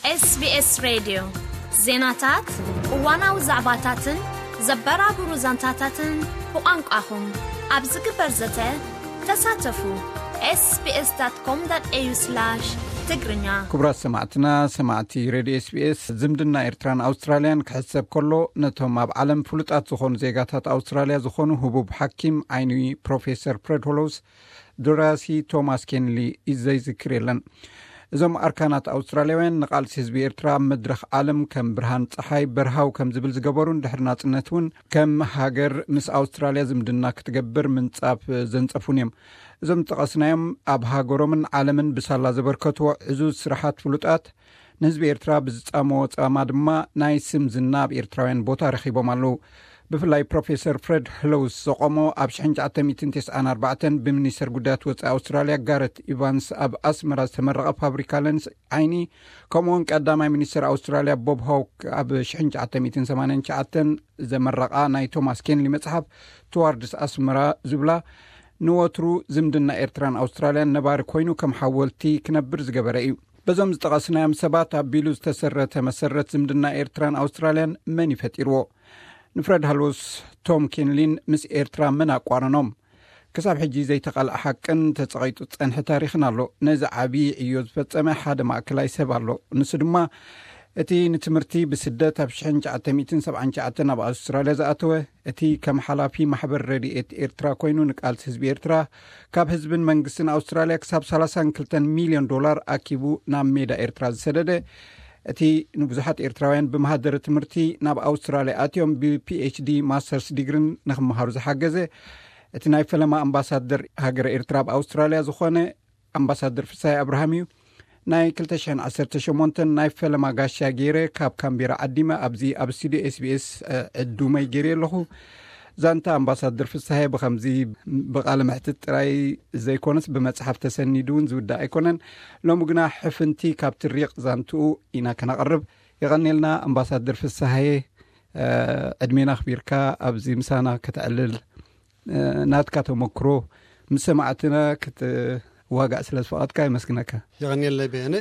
SBS ሬድዮ፣ ዜናታት፣ እዋናዊ ዛዕባታትን ዘበራብሩ ዛንታታትን ብቋንቋኹም ኣብ ዝግበር ዘተ ተሳተፉ። SBS.com.au/ትግርኛ። ክቡራት ሰማዕትና፣ ሰማዕቲ ሬድዮ SBS፣ ዝምድና ኤርትራን ኣውስትራልያን ክሕሰብ ከሎ፣ ነቶም ኣብ ዓለም ፍሉጣት ዝኾኑ ዜጋታት ኣውስትራልያ ዝኾኑ ህቡብ ሓኪም ዓይኒ ፕሮፌሰር ፍሬድ ሆሎውስ፣ ደራሲ ቶማስ ኬንሊ ዘዝክር የለን። እዞም ኣርካናት ኣውስትራልያውያን ንቓልሲ ህዝቢ ኤርትራ ኣብ መድረኽ ዓለም ከም ብርሃን ጸሓይ በርሃው ከም ዝብል ዝገበሩን ድሕሪ ናጽነት እውን ከም ሃገር ምስ ኣውስትራልያ ዝምድና ክትገብር ምንጻፍ ዘንጸፉን እዮም። እዞም ዝጠቐስናዮም ኣብ ሃገሮምን ዓለምን ብሳላ ዘበርከትዎ ዕዙዝ ስራሓት ፍሉጣት፣ ንህዝቢ ኤርትራ ብዝጻመዎ ጻማ ድማ ናይ ስም ዝና ኣብ ኤርትራውያን ቦታ ረኺቦም ኣለዉ። ብፍላይ ፕሮፌሰር ፍሬድ ሆሎውስ ዘቆሞ ኣብ ሽሕን ትሽዓተ ሚእትን ተስዓን ኣርባዕተን ብሚኒስተር ጉዳያት ወጻኢ ኣውስትራልያ ጋረት ኢቫንስ ኣብ ኣስመራ ዝተመረቐ ፋብሪካ ለንስ ዓይኒ፣ ከምኡውን ቀዳማይ ሚኒስተር ኣውስትራልያ ቦብ ሆክ ኣብ ሽሕን ትሽዓተ ሚእትን ሰማንያን ትሽዓተን ዘመረቓ ናይ ቶማስ ኬንሊ መጽሓፍ ትዋርድስ ኣስመራ ዝብላ፣ ንወትሩ ዝምድና ኤርትራን ኣውስትራልያን ነባሪ ኮይኑ ከም ሓወልቲ ክነብር ዝገበረ እዩ። በዞም ዝጠቐስናዮም ሰባት ኣቢሉ ዝተሰረተ መሰረት ዝምድና ኤርትራን ኣውስትራልያን መን ይፈጢርዎ? ንፍሬድ ሃሎስ ቶም ኬንሊን ምስ ኤርትራ መን ኣቋረኖም? ክሳብ ሕጂ ዘይተቓልዐ ሓቅን ተጸቒጡ ዝጸንሐ ታሪኽን ኣሎ። ነዚ ዓቢ ዕዮ ዝፈጸመ ሓደ ማእከላይ ሰብ ኣሎ። ንሱ ድማ እቲ ንትምህርቲ ብስደት ኣብ ሽሕን ትሽዓተ ሚእትን ሰብዓን ትሽዓተን ኣብ ኣውስትራልያ ዝኣተወ፣ እቲ ከም ሓላፊ ማሕበር ረድኤት ኤርትራ ኮይኑ ንቃልሲ ህዝቢ ኤርትራ ካብ ህዝብን መንግስትን ኣውስትራልያ ክሳብ ሰላሳን ክልተን ሚልዮን ዶላር ኣኪቡ ናብ ሜዳ ኤርትራ ዝሰደደ፣ እቲ ንብዙሓት ኤርትራውያን ብመሃደረ ትምህርቲ ናብ ኣውስትራልያ ኣትዮም ብፒኤችዲ ማስተርስ ዲግሪን ንክመሃሩ ዝሓገዘ፣ እቲ ናይ ፈለማ ኣምባሳደር ሃገረ ኤርትራ ኣብ ኣውስትራልያ ዝኾነ ኣምባሳደር ፍስሃይ ኣብርሃም እዩ። ናይ ክልተ ሽሕን ዓሰርተ ሸሞንተን ናይ ፈለማ ጋሻ ገይረ ካብ ካምቤራ ዓዲመ ኣብዚ ኣብ ስቱዲዮ ኤስቢኤስ ዕዱመይ ገይረ ኣለኹ። ዛንታ ኣምባሳደር ፍስሃይ ብኸምዚ ብቓለ መሕትት ጥራይ ዘይኮነስ ብመጽሓፍ ተሰኒዱ እውን ዝውዳእ ኣይኮነን። ሎሚ ግና ሕፍንቲ ካብ ትሪቕ ዛንትኡ ኢና ከነቕርብ። የቐኔልና ኣምባሳደር ፍስሃየ፣ ዕድሜና ኣኽቢርካ ኣብዚ ምሳና ከተዕልል፣ ናትካ ተመክሮ ምስ ሰማዕትና ክትዋጋእ ስለ ዝፈቐድካ የመስግነካ። የቐንየለይ በየነ፣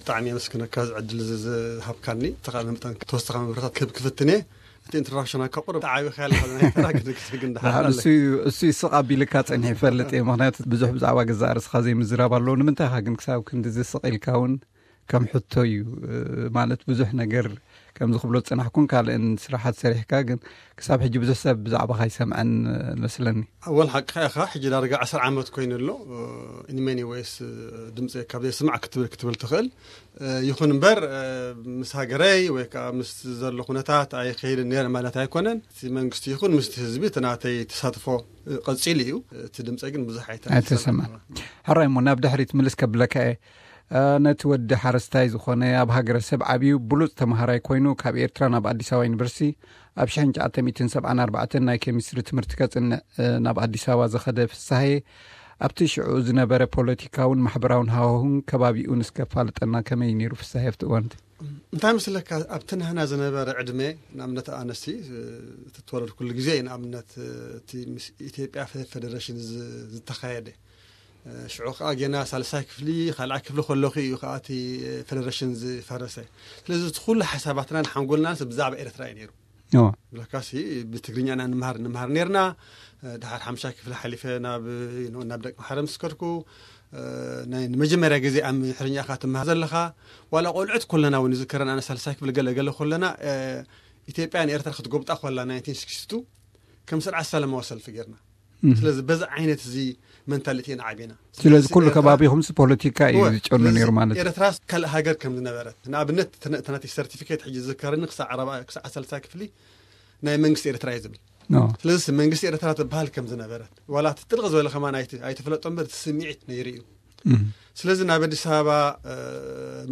ብጣዕሚ የመስግነካ እዚ ዕድል እዚ ዝሃብካኒ። ተኻለ መጠን ተወሰኻ መብረታት ክህብ ክፍትን እየ። እቲ ኢንትሮዳክሽን ኣካ ቁሩብ ተዓቢኻ ያለኻ ናይ ተራ ግን ክስግን ደሓር ደሓር ኣለ። እሱ እዩ፣ እሱ ይስቕ ኣቢልካ ጸኒሑ ይፈልጥ እየ። ምኽንያቱ ብዙሕ ብዛዕባ ገዛእ ርእስኻ ዘይምዝራብ ኣለዎ። ንምንታይ ኢኻ ግን ክሳብ ክንዲ ዝስቕ ኢልካ እውን ከም ሕቶ እዩ። ማለት ብዙሕ ነገር ከም ዝኽብሎ ዝጸናሕኩን ካልእን ስራሓት ሰሪሕካ፣ ግን ክሳብ ሕጂ ብዙሕ ሰብ ብዛዕባኻ ኣይሰምዐን መስለኒ። ኣወል ሓቅኻ ኢኻ። ሕጂ ዳርጋ ዓሰርተ ዓመት ኮይኑ ኣሎ። In many ways ድምፂ ካብ ዘይስማዕ ክትብል ክትብል ትኽእል። ይኹን እምበር ምስ ሃገረይ ወይ ከዓ ምስ ዘሎ ኩነታት ኣይኸይድን ነይረ ማለት ኣይኮነን። እቲ መንግስቲ ይኹን ምስቲ ህዝቢ እቲ ናተይ ተሳትፎ ቀፂሉ እዩ። እቲ ድምፂ ግን ብዙሕ ኣይተ-፣ ኣይተሰማዕን። ሕራይ እሞ ናብ ድሕሪት ምልስ ከብለካ እየ። ነቲ ወዲ ሓረስታይ ዝኾነ ኣብ ሃገረሰብ ዓብዩ ብሉፅ ተምሃራይ ኮይኑ ካብ ኤርትራ ናብ ኣዲስ ኣበባ ዩኒቨርሲቲ ኣብ ሽሕን ትሽዓተ ሚእትን ሰብዓን ኣርባዕተን ናይ ኬሚስትሪ ትምህርቲ ከጽንዕ ናብ ኣዲስ ኣበባ ዝኸደ ፍስሃየ፣ ኣብቲ ሽዑ ዝነበረ ፖለቲካውን ማሕበራውን ሃዋሁን ከባቢኡ ንስከፋልጠና ከመይ ነይሩ ፍስሃየ ኣብቲ እዋን እቲ? እንታይ መስለካ ኣብቲ ናህና ዝነበረ ዕድመ ንኣብነት ኣነሲ እቲ ተወለድኩሉ ግዜ እዩ ንኣብነት እቲ ምስ ኢትዮጵያ ፌ-፣ ፌደሬሽን ዝ-፣ ዝተኻየደ ሽዑ ከዓ ጌና ሳልሳይ ክፍሊ ካልኣይ ክፍሊ ከለኹ እዩ ከዓ እቲ ፌደሬሽን ዝፈረሰ። ስለዚ እቲ ኩሉ ሓሳባትናን ሓንጎልናን ብዛዕባ ኤርትራ እዩ ነይሩ። እዎ። ብለካሲ ብትግርኛ ኢና ንምሃር ንምሃር ነርና። ድሓር ሓምሻይ ክፍሊ ሓሊፈ ናብ ናብ ደቂ ማሕረ ምስ ከድኩ ናይ ንመጀመርያ ግዜ ኣብ ምሕርኛ ኢኻ ትምሃር ዘለኻ። ዋላ ቆልዑት ኮለና እውን ይዝከረን ኣነ ሳልሳይ ክፍሊ ገለ ገለ ኮለና ኢትዮጵያ ንኤርትራ ክትጎብጣ ኮላ ናይንቲን ሲክስቲ ቱ ከም ስርዓት ሰላማዊ ሰልፊ ጌርና። ስለዚ በዚ ዓይነት እዚ መንታሊቲ ኢና ዓቢና። ስለዚ ኩሉ ኤርትራ ከባቢኹምሲ ፖለቲካ እዩ እወ፣ ዝጨኑ ስለዚ ነይሩ ማለት እዩ። ኤርትራ ካልእ ሃገር ከም ዝነበረት፣ ንኣብነት፣ እቲ ነ-፣ እቲ ናተይ ሰርቲፊኬት ሕጂ ዝዝከረኒ ክሳዕ ኣረባ-፣ ክሳዕ ሳልሳይ ክፍሊ ናይ መንግስቲ ኤርትራ እዩ ዝብል። ኖ። ስለዚ መንግስቲ ኤርትራ ትበሃል ከም ዝነበረት፣ ዋላ እቲ ጥልቕ ዝበለ ከማን ኣይቲ-፣ ኣይትፍለጦ እምበር፣ እቲ ስምዒት ነይሩ እዩ። እም። ስለዚ ናብ ኣዲስ ኣበባ፣ እ፣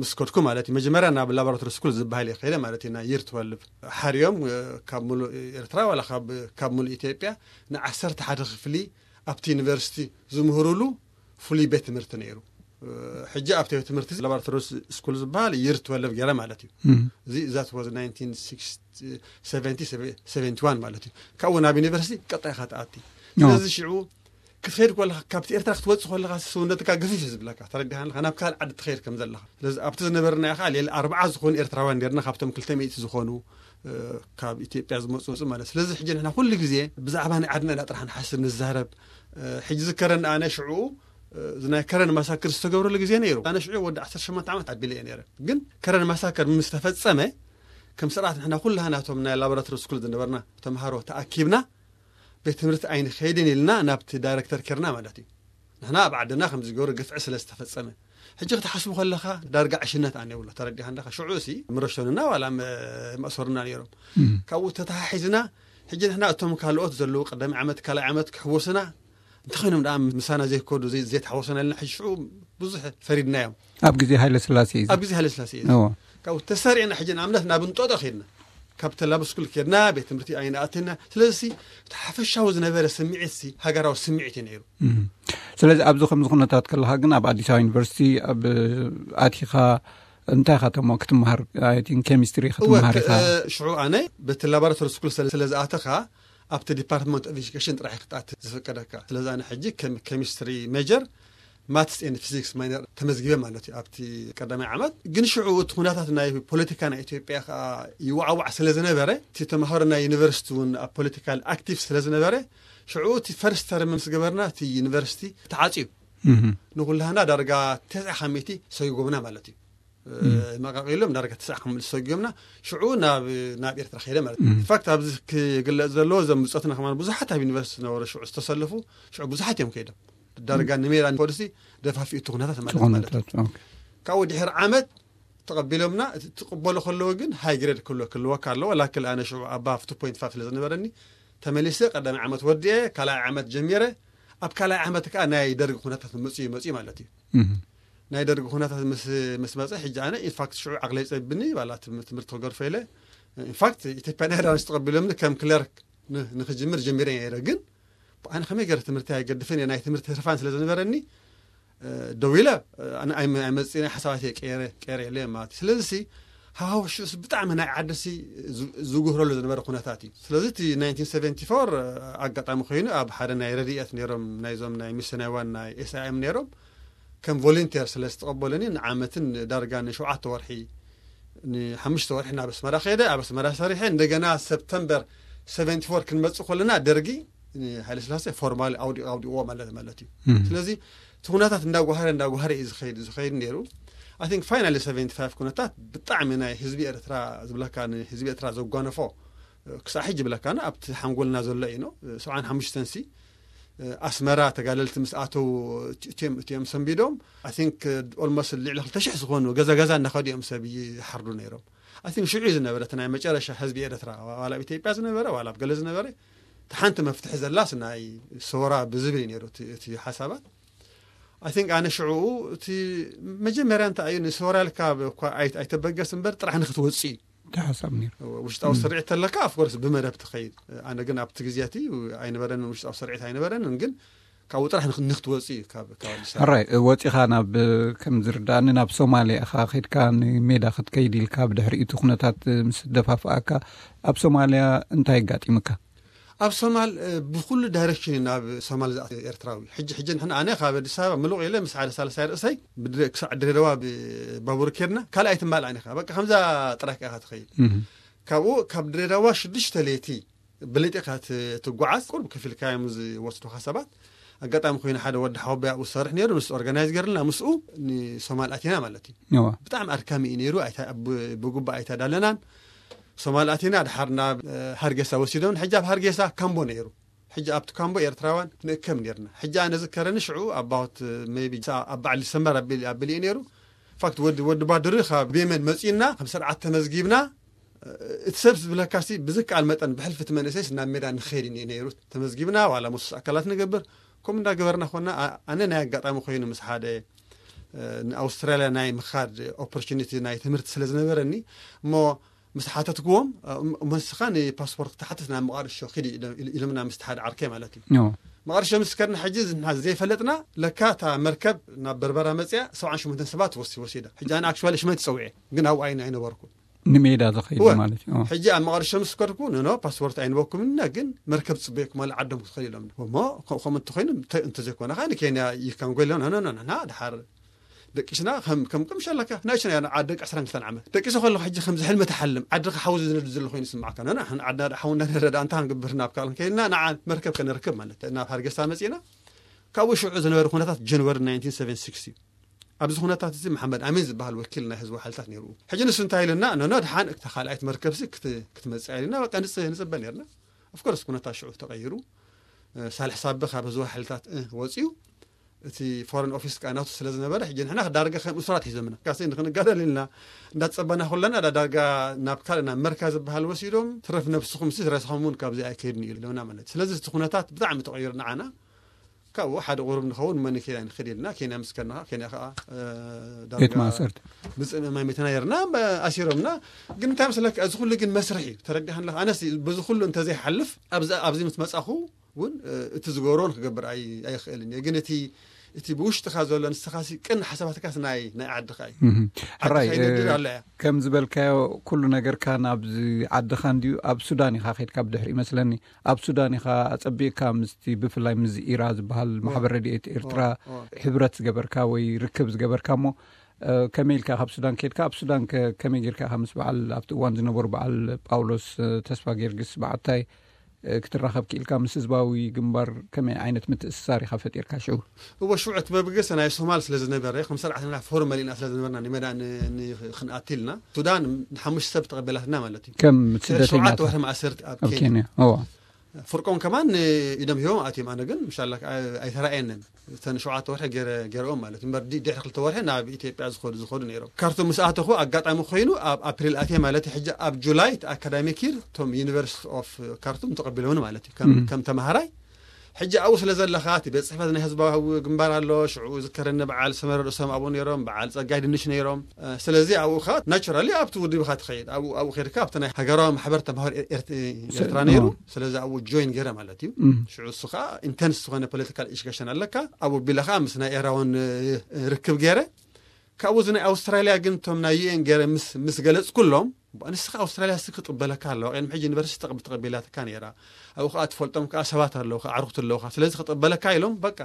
ምስ ከድኩ ማለት እዩ፣ መጀመርያ ናብ ላቦራቶሪ ስኩል ዝበሃል እየ ከይደ ማለት እዩ፣ ናይ ይር ትወልቭ። ሓርዮም፣ እ፣ ካብ ሙሉእ ኤርትራ ዋላ ካብ፣ ካብ ሙሉእ ኢትዮጵያ ንዓሰርተ ሓደ ክፍሊ ኣብቲ ዩኒቨርሲቲ ዝምህሩሉ ፍሉይ ቤት ትምህርቲ ነይሩ። እ፣ ሕጂ ኣብቲ ቤት ትምህርቲ ላቦራቶሪ ስ-፣ ስኩል ዝበሃል ይር ትወልቭ ገይረ ማለት እዩ። እም። እዚ፣ that was ናይንቲን ሲክስቲ፣ ሰቨንቲ፣ ሰቨንቲ ዋን ማለት እዩ። ካብኡ ናብ ዩኒቨርሲቲ ቀጣይካ ትኣቲ። ኖ። ስለዚ ሽዑ ክትኸይድ ከለኻ፣ ካብቲ ኤርትራ ክትወጽእ ከለኻ፣ ሰውነትካ ገፊፍ እዩ ዝብለካ፣ ተረዲኻ ኣለኻ፣ ናብ ካልእ ዓዲ ትኸይድ ከም ዘለኻ። ስለዚ ኣብቲ ዝነበርና ኢኻ፣ ሌላ ኣርባዓ ዝኾኑ ኤርትራውያን ነርና፣ ካብቶም ክልተ ሚእቲ ዝኾኑ፣ እ፣ ካብ ኢትዮጵያ ዝመጹ፣ መጹ ማለት። ስለዚ ሕጂ ንሕና ኩሉ ግዜ ብዛዕባ ናይ ዓድና ኢና ጥራሕ ንሓስብ፣ ንዛረብ። እ፣ ሕጂ ዝከረን ኣነ ሽዑ፣ እ፣ እዚ ናይ ከረን ማሳክር ዝተገብረሉ ግዜ ነይሩ። ኣነ ሽዑ ወዲ ዓሰርተ ሸሞንተ ዓመት ኣቢለ እየ ነይረ። ግን ከረን ማሳክር ምስ ተፈጸመ፣ ከም ስርዓት ንሕና ኩላህና እቶም ናይ ላቦራቶሪ ስኩል ዝነበርና ተምሃሮ ተኣኪብና፣ ቤት ትምህርቲ ኣይንኸይድን ኢልና ናብቲ ዳይረክተር ኬርና ማለት እዩ። ንሕና ኣብ ዓድና ከም ዝገብሩ ግፍዒ ስለ ዝተፈጸመ። ሕጂ ክትሓስቡ ከለኻ ዳርጋ ዕሽነት ኣነ ይብሎ፣ ተረዲኻ ኣለኻ። ሽዑ እሲ ምረሸኑና ዋላ መ-፣ መእሰሩና ነይሮም። እም። ካብኡ ተተሓሒዝና፣ ሕጂ ንሕና እቶም ካልኦት ዘለዉ ቀዳማይ ዓመት፣ ካልኣይ ዓመት ክሕወሱና፣ እንተኾይኖም ደኣ ምሳና ዘይከዱ፣ ዘይ-፣ ዘይተሓወሱና ኢልና ሕጂ ሽዑ ብዙሕ ፈሪድናዮም። ኣብ ግዜ ሃይለ ስላሴ እዩ። ኣብ ግዜ ሃይለ ስላሴ እዩ። እዎ። ካብኡ ተሰሪዕና ሕጂ ንኣብነት ናብ እንጦጦ ኬድና። ካብ ተላብ ስኩል ኬድና፣ ቤት ትምህርቲ ኣይንኣትና። ስለዚ እቲ ሓፈሻዊ ዝነበረ ስምዒት ሲ ሃገራዊ ስምዒት እዩ ነይሩ። እም። ስለዚ ኣብዚ ከምዚ ኩነታት ከለኻ ግን ኣብ ኣዲስ ኣበባ ዩኒቨርሲቲ ኣብ ኣቲኻ እንታይ ኢኻ ተሞ ክትመሃር? I think ኬሚስትሪ እወ፣ ክትመሃር ክ-፣ ኢኻ። እ፣ ሽዑ ኣነ በቲ ላቦራቶሪ ስኩል ስለ፣ ስለ ዝኣተኻ ኣብቲ ዲፓርትመንት ኦፍ ኤጁኬሽን ጥራሕ ክትኣት ዝፍቀደካ። ስለዚ ኣነ ሕጂ ከም ኬሚስትሪ ሜጀር ማትስ ኤንድ ፊዚክስ ማይነር ተመዝጊበ ማለት እዩ። ኣብቲ ቀዳማይ ዓመት ግን ሽዑ እቲ ኩነታት ናይ ፖለቲካ ናይ ኢትዮጵያ ከኣ ይዋዕዋዕ ስለ ዝነበረ፣ እቲ ተምሃሮ ናይ ዩኒቨርሲቲ እውን ኣብ ፖለቲካል ኣክቲቭ ስለ ዝነበረ፣ ሽዑ እቲ ፈርስት ተርም ምስ ገበርና እቲ ዩኒቨርሲቲ ተዓጽዩ። እም። ንኹላህና ዳርጋ ተስዓ ካብ ሚእቲ ሰጉምና ማለት እዩ። እ፣ እም። መቃቂሎም ዳርጋ ተስዓ ካብ ሚእቲ ሰጉምና፣ ሽዑ ናብ፣ ናብ ኤርትራ ከይደ ማለት እዩ። እም። ኢንፋክት ኣብዚ ክግለጽ ዘለዎ፣ እዞም ብጾትና ከማን ብዙሓት ኣብ ዩኒቨርሲቲ ዝነበሩ ሽዑ ዝተሰለፉ፣ ሽዑ ብዙሓት እዮም ከይዶም። ዳርጋ እም። ንሜዳ ንፖሊሲ ደፋፊኡ እቲ ኩነታት ማለት፣ ማለት እዩ። ኩነታት፣ ኦኬ። ካብኡ ድሕሪ ዓመት ተቐቢሎምና፣ እቲ ትቕበሎ ከለዎ ግን ሃይ ግሬድ ክህልወ-፣ ክህልወካ ኣለዎ። ላክል ኣነ ሽዑ ኣባቭ ቱ ፖይንት ፋይቭ ስለ ዝነበረኒ፣ ተመሊሰ ቀዳማይ ዓመት ወዲኤ፣ ካልኣይ ዓመት ጀሚረ። ኣብ ካልኣይ ዓመት ከኣ ናይ ደርጊ ኩነታት መጽዩ፣ መጽዩ ማለት እዩ። እም። ናይ ደርጊ ኩነታት ምስ፣ ምስ መጸ፣ ሕጂ ኣነ ኢንፋክት ሽዑ ዓቕለይ ጸቢኒ፣ ዋላ ትም-፣ ትምህርቲ ክገርፎ ኢለ። ኢንፋክት ኢትዮጵያን ኤርላይንስ ተቐቢሎምኒ ከም ክለርክ ን-፣ ንኽጅምር ጀሚረ ነይረ። ግን ኣነ ከመይ ገይረ ትምህርቲ ኣይገድፍን እየ፣ ናይ ትምህርቲ ህርፋን ስለ ዝነበረኒ፣ እ፣ ደው ኢለ፣ እ፣ ኣነ ኣይመ-፣ ኣይመጽእን እየ፣ ሓሳባተይ ቀይረ፣ ቀይረ ኢለ ማለት እዩ። ስለዚ ሲ፣ ሃዋህው ሽዑስ ብጣዕሚ ናይ ዓዲ ሲ ዝ-፣ ዝጉህረሉ ዝነበረ ኩነታት እዩ። ስለዚ እቲ ናይንቲን ሰቨንቲ ፎር፣ እ፣ ኣጋጣሚ ኮይኑ ኣብ ሓደ ናይ ረድኤት ነይሮም፣ ናይዞም ናይ ሚስዮናውያን ናይ ኤስ ኣይ ኤም ነይሮም፣ ከም ቮለንቲር ስለ ዝተቐበሉኒ ንዓመትን ዳርጋ ንሸውዓተ ወርሒ፣ ንሓሙሽተ ወርሒ ናብ ኣስመራ ከይደ፣ ኣብ ኣስመራ ሰሪሐ፣ እንደገና ሰፕተምበር ሰቨንቲ ፎር ክንመጽእ ከለና ደርጊ ንሃይለስላሴ ፎርማሊ ኣውዲ-፣ ኣውዲቕዎ ማለት፣ ማለት እዩ። እም። ስለዚ እቲ ኩነታት እንዳጓሃረ፣ እንዳጓሃረ እዩ ዝኸይድ፣ ዝኸይድ ነይሩ። I think finally ሰቨንቲ ፋይቭ ኩነታት ብጣዕሚ ናይ ህዝቢ ኤርትራ ዝብለካ፣ ንህዝቢ ኤርትራ ዘጓነፎ፣ ክሳዕ ሕጂ ይብለካና ኣብቲ ሓንጎልና ዘሎ እዩ ነው። ሰብዓን ሓሙሽተን ሲ፣ ኣስመራ ተጋደልቲ ምስ ኣተው፣ እቲኦም፣ እቲኦም ሰንቢዶም፣ I think almost ልዕሊ ክልተ ሽሕ ዝኾኑ ገዛ ገዛ እናኸዱ እዮም ሰብ ይሓርዱ ነይሮም። I think ሽዑ እዩ ዝነበረ እቲ ናይ መጨረሻ ህዝቢ ኤርትራ፣ ዋላ ኣብ ኢትዮጵያ ዝነበረ፣ ዋላ ኣብ ገለ ዝነበረ፣ እቲ ሓንቲ መፍትሒ ዘላስ ናይ ሰውራ ብዝብል እዩ ነይሩ እቲ፣ እቲ ሓሳባት። I think ኣነ ሽዑ እቲ መጀመርያ እንታይ እዩ፣ ንሰውራ ኢልካ እኳ ኣይ-፣ ኣይተበገስ እምበር ጥራሕ ንክትወጽእ እዩ። እቲ ሓሳብ ነይሩ። ውሽጣዊ እም። ስርዒት ተለካ፣ of course፣ ብመደብ ትኸይድ። ኣነ ግን ኣብቲ ግዜ እቲ ኣይነበረንን፣ ውሽጣዊ ስርዒት ኣይነበረንን፣ ግን ካብኡ ጥራሕ ንክ-፣ ንክትወጽእ እዩ ካብ፣ ካብ ኣዲስ ኣበባ። ሕራይ፣ ወጺኻ ናብ፣ ከም ዝርዳእኒ፣ ናብ ሶማልያ ኢኻ ኸይድካ ንሜዳ ክትከይድ ኢልካ፣ ብድሕሪኡ እቲ ኩነታት ምስ ደፋፍኣካ፣ ኣብ ሶማልያ እንታይ ኣጋጢምካ? ኣብ ሶማል፣ እ፣ ብኹሉ ዳይሬክሽን እዩ ናብ ሶማል ዝኣቱ ኤርትራዊ። ሕጂ፣ ሕጂ ንሕና፣ ኣነ ካብ ኣዲስ ኣበባ ምሉቕ ኢለ ምስ ሓደ ሳልሳይ ርእሰይ ብድረ-፣ ክሳዕ ድሬዳዋ ብባቡር ኬድና፣ ካልኣይ ትማልኣን ኢኻ። በቃ ከምዛ ጥራይ ኢኻ ትኸይድ። እም። ካብኡ፣ ካብ ድሬዳዋ ሽዱሽተ ለይቲ ብለይቲ ኢኻ ት-፣ ትጓዓዝ። ቁሩብ ከፊልካ እዮም ዝወስዱኻ ሰባት። ኣጋጣሚ ኮይኑ ሓደ ወዲ ሓወቦይ ኣብኡ ዝሰርሕ ነይሩ፣ ንሱ ኦርጋናይዝ ገይርልና፣ ምስኡ ንሶማል ኣቲና ማለት እዩ። እዋ። ብጣዕሚ ኣድካሚ እዩ ነይሩ። ኣይተ-፣ ብ-፣ ብግቡእ ኣይተዳለናን። ሶማል ኣቲና፣ ድሓር ናብ፣ እ፣ ሃርጌሳ ወሲዶም። ሕጂ ኣብ ሃርጌሳ ካምቦ ነይሩ። ሕጂ ኣብቲ ካምቦ ኤርትራውያን ክንእከብ ነይርና። ሕጂ ኣነ ዝከረኒ ሽዑ ኣባውት ሜይቢ ኣብ በዓል ዲሰምበር ኣቢል-፣ ኣቢሉ እዩ ነይሩ። ፋክት ወዲ፣ ወዲ ባድሪ ካብ የመን መጺእና፣ ከም ስርዓት ተመዝጊብና፣ እቲ ሰብ ዝብለካሲ ብዝከኣል መጠን ብሕልፊ እቲ መንእሰይስ ናብ ሜዳ ንኸይድ እዩ ነይሩ። ተመዝጊብና ዋላ መሱስ ኣካላት ንገብር፣ ከምኡ እንዳገበርና ኮና። ኣ-፣ ኣነ ናይ ኣጋጣሚ ኮይኑ ምስ ሓደ፣ እ፣ ንኣውስትራልያ ናይ ምኻድ ኦፖርቹኒቲ ናይ ትምህርቲ ስለ ዝነበረኒ፣ እሞ ምስ ሓተትክዎም፣ እ፣ እሞ ንስኻ ንፓስፖርት ክትሓትት ናብ መቓድሾ ኪድ ኢሎ-፣ ኢሎምና ምስቲ ሓደ ዓርከይ ማለት እዩ። ዮ። መቓድሾ ምስ ከድና ሕጂ ንሕና ዘይፈለጥና፣ ለካ እታ መርከብ ናብ በርበራ መጽያ ሰብዓን ሸሞንተን ሰባት ወሲ-፣ ወሲዳ። ሕጂ ኣነ ኣክቹዋሊ ሽመይ ትጸውዐ፣ ግን ኣብኡ ኣይነ-፣ ኣይነበርኩን። ንሜዳ ዝኸይድ እወ። ማለት እዩ። ሕጂ ኣብ መቐር ሸምስ ከድኩ ንኖ ፓስፖርት ኣይንበኩም ኢና፣ ግን መርከብ ጽበየኩም ኣለ ዓዶም ክትኸዱ ኢሎም። እሞ ከ- ከምኡ እንተኮይኑ እንተ- እንተዘይኮነ ከኣ ንኬንያ ይካንጎ ኢሎም። ኖ ኖ ኖ፣ ንሕና ድሓር ደቂስና ከም ከም ከም ሸለካ ናይ ሽና ያ ዓደ ዕስራን ክልተን ዓመት ደቂሰ ከለኹ፣ ሕጂ ከምዚ ሕልሚ ትሓልም፣ ዓድኻ ሓዊ ዝነድ ዘሎ ኮይኑ ይስማዕካ። ኖ ኖ፣ ንሕና ዓድና ሓዊ እንዳነደደ ኣንታ ክንግብር ናብ ካልእ ከይድና ንዓ መርከብ ከነርክብ ማለት ናብ ሃርጌሳ መጺና። ካብኡ ሽዑ ዝነበረ ኩነታት ጀንዋሪ ናይንቲን ሰቨንቲ ሲክስ እዩ። ኣብዚ ኩነታት እዚ መሓመድ ኣሚን ዝበሃል ወኪል ናይ ህዝባዊ ሓይልታት ነይሩ። ሕጂ ንሱ እንታይ ኢልና፣ ኖ ኖ፣ ድሓን እታ ካልኣይት መርከብሲ ክት- ክትመጽእ ኢልና በቃ ንጽ- ንጽበ ነርና። ኦፍኮርስ ኩነታት ሽዑ ተቐይሩ። እ፣ ሳልሕ ሳቢ ካብ ህዝባዊ ሓይልታት እ፣ ወጺኡ፣ እቲ ፎረን ኦፊስ ከኣ ናቱ ስለ ዝነበረ፣ ሕጂ ንሕና ዳርጋ ከም እሱራት ሒዞምና። ካሲ ንክንጋደል ኢልና እንዳጸበና ኩለና፣ ዳ- ዳርጋ ናብ ካልእ ናብ መርካ ዝበሃል ወሲዶም፣ ትረፍ ነብስኹም ሲ ረስኹም እውን ካብዚ ኣይከይድን እዩ ኢሎምና ማለት። ስለዚ እቲ ኩነታት ብጣዕሚ ተቐይሩ ንዓና። ካብኡ ሓደ ቁሩብ ንኸውን መን ኬንያ ንኽድ ኢልና፣ ኬንያ ምስ ከድና ኬንያ ከኣ፣ እ፣ ዳርጋ ቤት ማእሰርቲ። ብጽምእማይ መተና ነርና፣ ኣሲሮምና። ግን እንታይ መስለካ፣ እዚ ኩሉ ግን መስርሕ እዩ። ተረዲኻን ኣለኻ? ኣነስ በዚ ኩሉ እንተዘይሓልፍ፣ ኣብዚ ኣብዚ ምስ መጻኹ እውን፣ እ፣ እቲ ዝገብሮ ንክገብር ኣይ- ኣይኽእልን እየ። ግን እቲ እቲ ብውሽጥኻ ዘሎ ንስኻሲ ቅን ሓሳባትካስ ናይ ናይ ዓድኻ እዩ። እህ። ሕራይ ከይነድድ እ፣ ኣለ እያ። ከም ዝበልካዮ ኩሉ ነገርካ ናብዚ ዓድኻ እንድዩ። ኣብ ሱዳን ኢኻ ከድካ ብድሕሪ ይመስለኒ። ኣብ ሱዳን ኢኻ ኣጸቢቕካ ምስቲ ብፍላይ ምስ ኢራ ዝበሃል ማሕበር ረድኤት ኤርትራ ኦ፣ ኦ። ሕብረት ዝገበርካ ወይ ርክብ ዝገበርካ እሞ፣ እ፣ ከመይ ኢልካ ካብ ሱዳን ከድካ ኣብ ሱዳን ከ- ከመይ ጌርካ ኢኻ ምስ በዓል ኣብቲ እዋን ዝነበሩ በዓል ጳውሎስ እ፣ ተስፋ ጊዮርጊስ በዓታይ እ፣ ክትራኸብ ክኢልካ? ምስ ህዝባዊ ግንባር ከመይ ዓይነት ምትእስሳር ኢኻ ፈጢርካ ሽዑ? እወ ሽዑ እቲ መበገሲ ናይ ሶማል ስለ ዝነበረ ከም ስርዓትና ፎርመል ኢና ስለ ዝነበርና ንመዳ ን- ን- ክንኣትልና ሱዳን ንሓሙሽተ ሰብ ተቐበላትና ማለት እዩ። ከም ሸውዓተ ስደተኛታት ወርሒ ማእሰርቲ ኣብ ኣብ ኬንያ ኬንያ? እዋ። ፍርቆም ከማን ኢዶም ሂቦም ኣትዮም። ኣነ ግን ምሻላ ኣይተራእየንን። እተን ሸውዓተ ወርሒ ገይረ- ገይረኦም ማለት እዩ። እምበር ዲ- ድሕሪ ክልተ ወርሒ ናብ ኢትዮጵያ ዝኸዱ ዝኸዱ ነይሮም። ካርቱም ምስ ኣተኹ ኣጋጣሚ ኮይኑ ኣብ ኣፕሪል ኣትየ ማለት እዩ። ሕጂ ኣብ ጁላይ እቲ ኣካዳሚክ ይር እቶም ዩኒቨርሲቲ ኦፍ ካርቱም ተቐቢሎምኒ ማለት እዩ። ከም- ከም ተምሃራይ ሕጂ ኣብኡ ስለ ዘለኻ እቲ ቤት ጽሕፈት ናይ ህዝባዊ ግንባር ኣሎ። ሽዑ ዝከረኒ በዓል ሰመረ ርእሶም ኣብኡ ነይሮም፣ በዓል ጸጋይ ድንሽ ነይሮም። እ፣ ስለዚ ኣብኡ ኻ ናቹራሊ ኣብቲ ውድብ ኢኻ ትኸይድ። ኣብኡ ኣብኡ ከይድካ ኣብቲ ናይ ሃገራዊ ማሕበር ተምሃሮ ኤር- ኤርት- ኤርትራ ነይሩ። ኦ። ስለዚ ኣብኡ ጆይን ገይረ ማለት እዩ። እም። ሽዑ እሱ ኸዓ ኢንተንስ ዝኾነ ፖለቲካል ኢሹኬሽን ኣለካ። ኣብኡ ቢለ ኸዓ ምስ ናይ ኤራውን እ፣ ርክብ ገይረ። ካብኡ እዚ ናይ ኣውስትራልያ ግን እቶም ናይ ዩ ኤን ገይረ ምስ ምስ ገለጽኩሎም፣ ንስኻ ኣውስትራልያ ሲ ክጥበለካ ኣለዋ። ቅድሚ ሕጂ ዩኒቨርሲቲ ተቐብ- ተቐቢላትካ ነይራ። ኣብኡ ኸዓ ትፈልጦም ከኣ ሰባት ኣለዉ፣ ከኣ ኣዕሩኽቲ ኣለዉኻ። ስለዚ ክጥበለካ ኢሎም በቃ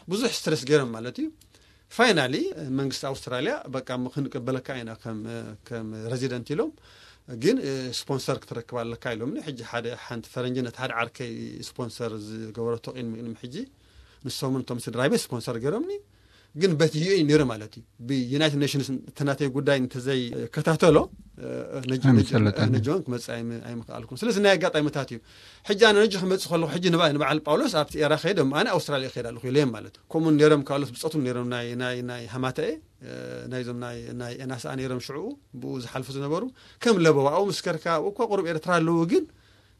ብዙሕ ስትረስ ገይሮም ማለት እዩ። ፋይናሊ መንግስቲ ኣውስትራልያ በቃ ም- ክንቅበለካ ኢና ከም ከም ሬዚደንት ኢሎም፣ ግን እ፣ ስፖንሰር ክትረክብ ኣለካ ኢሎምኒ። ሕጂ ሓደ ሓንቲ ፈረንጂ ነቲ ሓደ ዓርከይ ስፖንሰር ዝገበረቶ ቅድሚ ቅድሚ ሕጂ ንሶምን እቶም ስድራይ ቤት ስፖንሰር ገይሮምኒ። ግን በቲ ዩ ኤን ነይሩ ማለት እዩ። ብዩናይትድ ኔሽንስ እቲ ናተይ ጉዳይ እንተዘይከታተሎ እ፣ ነጅ- ነጅ- ኣይምሰለጠኒ። ነጆን ክመጽእ ኣይም- ኣይምኽኣልኩን። ስለዚ ናይ ኣጋጣሚታት እዩ። ሕጂ ኣነ ነጅ ክመጽእ ከለኹ ሕጂ ንባ- ንበዓል ጳውሎስ ኣብቲ ኤራ ከይደ እሞ ኣነ ኣውስትራልያ ይኸይድ ኣለኹ ኢለ ማለት እዩ። ከምኡ ነይሮም ካልኦት ብጾቱም ነይሮም ናይ ናይ ናይ ሃማተኤ እ፣ ናይዞም ናይ ናይ ኤናስኣ ነይሮም ሽዕኡ ብኡ ዝሓልፉ ዝነበሩ ከም ለበዋኡ ምስ ከድካ ኣብኡ እኳ ቁሩብ ኤርትራ ኣለዉ ግን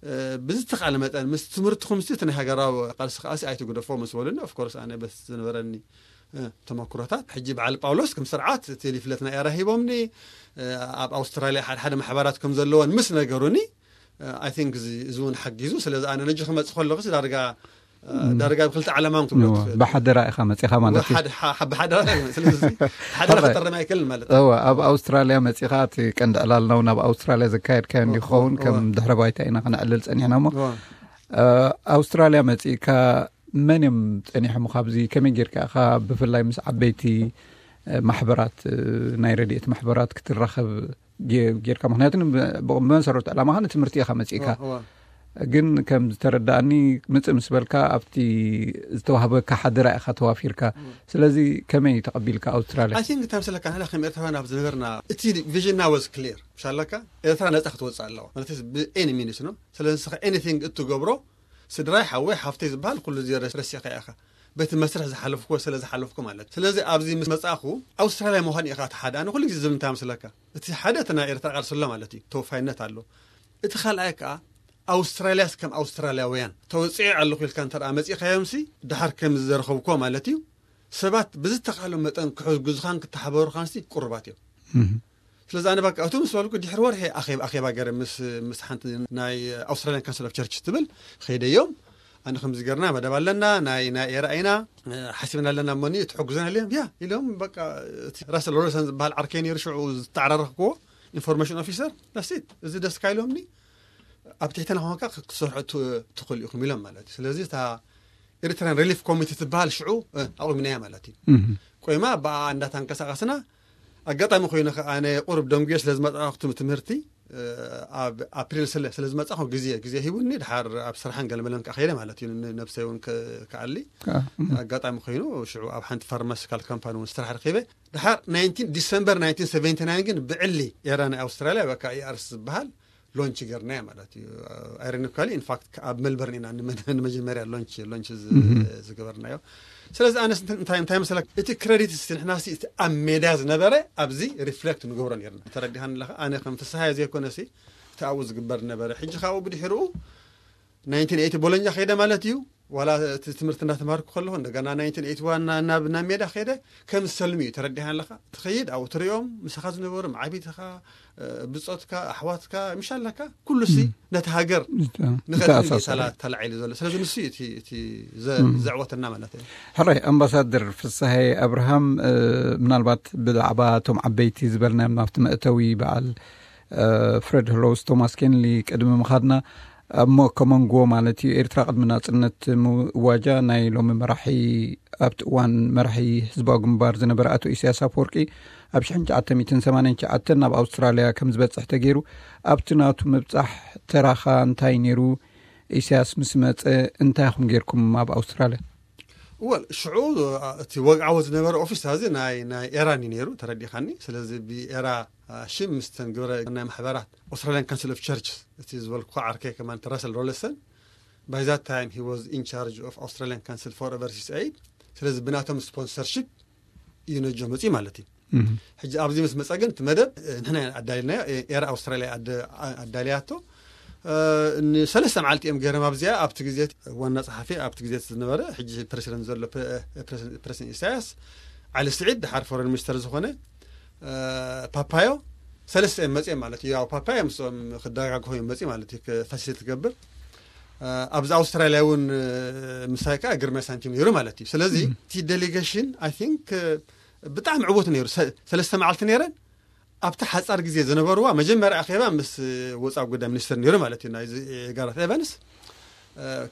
እ፣ ብዝተኻለ መጠን ምስ ትምህርትኹም ሲ እቲ ናይ ሃገራዊ ቃልሲ ከኣሲ ኣይትግደፎ ምስ በሉኒ ኦፍኮርስ ኣነ በስ ዝነበረኒ እ፣ ተመክሮታት ሕጂ በዓል ጳውሎስ ከም ስርዓት እቲ ሊፍለት ናይ ኤራ ሂቦምኒ እ፣ ኣብ ኣውስትራልያ ሓደ ሓደ ማሕበራት ከም ዘለወን ምስ ነገሩኒ ኣይ ቲንክ እዚ እውን ሓጊዙ። ስለዚ ኣነ ነጂ ክመፅእ ከለኹ ዳርጋ እ፣ ዳርጋ ብክልተ ዓለማም ትብሎ እዋ፣ ትኽእል። ብሓደራ ኢኻ መፂኻ ማለት እዩ። ሓደ- ሓ- ብሓደራ ስለዚ ሓደራ ሕራይ። ክጠረም ኣይክእልን ማለት እወ፣ ኣብ ኣውስትራልያ መፂኻ እቲ ቀንዲ ዕላልና እውን ኣብ ኣውስትራልያ ዘካየድካዮ እንዲኸውን እወ። ከም ድሕረ ባይታ ኢና ክነዕልል ፀኒሕና እሞ እወ። እ፣ ኣውስትራልያ መፂእካ መን እዮም ፀኒሖም ካብዚ ከመይ ጌርካ ኢኻ ብፍላይ ምስ ዓበይቲ እ፣ ማሕበራት እ፣ ናይ ረድኤት ማሕበራት ክትራኸብ ጌ- ጌርካ? ምክንያቱ ብ- ብመሰረቱ ዕላማኻ ንትምህርቲ ኢኻ መፂእካ። እወ። ግን ከም ዝተረዳእኒ ምፅእ ምስ በልካ ኣብቲ ዝተዋህበካ ሓደራ ኢኻ ተዋፊርካ። ስለዚ ከመይ ተቐቢልካ ኣውስትራልያ? I think እንታይ መስለካ ንሕና ከም ኤርትራውያን ኣብ ዝነበርና እቲ ቪዥንና was clear ምሻለካ ኤርትራ ነፃ ክትወፅእ ኣለዋ ማለት ብ any means ነው። ስለዚ ንስኻ anything እትገብሮ ስድራይ ሓወይ ሓፍተይ ዝበሃል ኩሉ እዚ ረስ- ረሲዕካ ኢኻ በቲ መስርሕ ዝሓለፍኩዎ ስለ ዝሓለፍኩ ማለት። ስለዚ ኣብዚ ምስ መፃእኹ ኣውስትራልያ ምዃን ኢኻ እቲ ሓደ። ኣነ ኩሉ ግዜ ዝብል እንታይ መስለካ እቲ ሓደ እቲ ናይ ኤርትራ ቃልሲ ኣሎ ማለት እዩ፣ ተወፋይነት ኣሎ። እቲ ካልኣይ ከዓ ኣውስትራልያስ ከም ኣውስትራልያውያን ተወፂዐ ኣለኹ ኢልካ እንተ ደኣ መፂእካዮምሲ ድሓር ከም ዝዘረኸብኩዎ ማለት እዩ ሰባት ብዝተኻሎም መጠን ክሕግዙኻን ክተሓበሩኻንሲ ቅሩባት እዮም። እህ። ስለዚ ኣነ በቃ እቱ ምስ በልኩ ድሕሪ ወርሒ ኣኼብ- ኣኼባ ገረ ምስ ምስ ሓንቲ ናይ ኣውስትራልያን ካንስል ኦፍ ቸርች ትብል ኸይደዮም። ኣነ ከምዚ ገርና መደብ ኣለና ናይ ናይ ኤራ ኢና እ፣ ሓሲብና ኣለና እሞኒ ትሕግዙና ኢሎም ያ ኢሎም በቃ እቲ ራሰል ሮበርሰን ዝበሃል ዓርከይ ነይሩ ሽዑ ዝተዓራረኽኩዎ ኢንፎርሜሽን ኦፊሰር፣ ዳሲት። እዚ ደስ ካይሎምኒ ኣብ ትሕተና ኮንካ ክትሰርሑ ት- ትኽእሉ ኢኹም ኢሎም ማለት እዩ። ስለዚ እታ ኤሪትራን ሪሊፍ ኮሚቴ ትበሃል ሽዑ እ፣ ኣቑሚናያ ማለት እዩ። ቆይማ ብኣ እንዳተንቀሳቐስና ኣጋጣሚ ኮይኑ ከ ኣነ ቁሩብ ደንጉየ ስለ ዝመጻኹ ትም- ትምህርቲ እ፣ ኣብ ኣፕሪል ስለ ስለ ዝመጻኹ ግዜ ግዜ ሂቡኒ። ድሓር ኣብ ስራሕን ገለመለን ከኣ ከይደ ማለት እዩ። ን- ነብሰይ እውን ከ- ከኣሊ ኣጋጣሚ ኮይኑ ሽዑ ኣብ ሓንቲ ፋርማሲካል ካምፓኒ እውን ስራሕ ረኺበ። ድሓር ናይንቲን ዲሰምበር ናይንቲን ሰቨንቲ ናይን ግን ብዕሊ ኤራ ናይ ኣውስትራልያ በቃ ኢኣርስ ዝበሃል ሎንች ገርናዮ ማለት እዩ። ኣይሮኒካሊ ኢንፋክት ኣብ ሜልበርን ኢና ንመ- ንመጀመርያ ሎንች ሎንች ዝ- ዝገበርናዮ። ስለዚ ኣነስ እንተ- እንታይ እንታይ መሰለካ እቲ ክሬዲት ስ ንሕና ሲ እቲ ኣብ ሜዳ ዝነበረ ኣብዚ ሪፍሌክት ንገብሮ ነርና። ተረዲኻን ኣለኻ ኣነ ከም ፍስሃየ ዘይኮነ ሲ እቲ ኣብኡ ዝግበር ነበረ። ሕጂ ካብኡ ብድሕርኡ ናይንቲን ኤይቲ ቦሎኛ ከይደ ማለት እዩ። ዋላ እቲ ትምህርቲ እንዳተማርኩ ከለኹ እንደገና ናይንቲን ኤይቲ ዋን ናብ ናብ ሜዳ ከይደ ከም ሰልሚ እዩ። ተረዲኻን ኣለኻ ትኸይድ ኣብኡ ትሪኦም ምሳኻ ዝነበሩ መዓቢትኻ ብጾትካ ኣሕዋትካ ምሻለካ ኩሉ ሲ ነቲ ሃገር ንኸእል ተላ- ተላዒሉ ዘሎ። ስለዚ ንሱ እዩ እቲ እቲ ዘ- ዘዕወተና ማለት እዩ። ሕራይ ኣምባሳደር ፍስሃይ ኣብርሃም እ፣ ምናልባት ብዛዕባ እቶም ዓበይቲ ዝበልናዮም ናብቲ መእተዊ በዓል እ፣ ፍሬድ ሆሎውስ ቶማስ ኬንሊ ቅድሚ ምኻድና ኣብ ሞ- ከመንጎ ማለት እዩ ኤርትራ ቅድሚ ናጽነት ምዋጃ ናይ ሎሚ መራሒ ኣብቲ እዋን መራሒ ህዝባዊ ግንባር ዝነበረ ኣቶ ኢሳያስ ኣፈወርቂ ኣብ ሽሕን ትሽዓተ ሚእትን ሰማንያን ትሽዓተን ናብ ኣውስትራልያ ከም ዝበጽሕ ተገይሩ። ኣብቲ ናቱ ምብጻሕ ተራኻ እንታይ ነይሩ? ኢሳያስ ምስ መጸ እንታይ ኢኹም ጌርኩም ኣብ ኣውስትራልያ? ወል ሽዑ እቲ ወግዓዊ ዝነበረ ኦፊስ እዚ ናይ ናይ ኤራን እዩ ነይሩ ተረዲኻኒ። ስለዚ ብኤራ ሽም ምስተን ግብረ ናይ ማሕበራት ኣውስትራሊያን ካንስል ኦፍ ቸርችስ እቲ ዝበልኩ ዓርከይ ከማን ረሰል ሮለሰን by that time he was in charge of Australian Council for Overseas Aid። ስለዚ ብናቶም ስፖንሰርሺፕ እዩ ነጆ መፅኡ ማለት እዩ። ሕጂ ኣብዚ ምስ መፀ ግን እቲ መደብ ንሕና ኣዳልናዮ። ኤር ኣውስትራሊያ ኣዳልያቶ ንሰለስተ መዓልቲ እዮም ገይሮም ኣብዚኣ። ኣብቲ ግዜ ዋና ፀሓፊ ኣብቲ ግዜ ዝነበረ ሕጂ ፕሬሲደንት ዘሎ ፕሬሲደንት ኢሳያስ ዓሊ ስዒድ ድሓር ፎረን ሚኒስተር ዝኾነ ፓፓዮ ሰለስተ እዮም መፅኦም ማለት እዩ። ያው ፓፓዮ ምስኦም ክደጋግፎ እዮም መፅኡ ማለት እዩ። ፋሲሊቲ ትገብር ኣብዚ ኣውስትራሊያ እውን ምሳይ ከዓ ግርማይ ሳንቲም ነይሩ ማለት እዩ። ስለዚ እቲ ዴሊጌሽን ኣይ ቲንክ ብጣዕሚ ዕዉት ነይሩ። ሰለስተ መዓልቲ ነይረን ኣብቲ ሓፃር ግዜ ዝነበርዋ መጀመርያ ኣኼባ ምስ ወፃኢ ጉዳይ ሚኒስትር ነይሩ ማለት እዩ ናይዚ ጋራት ኤቨንስ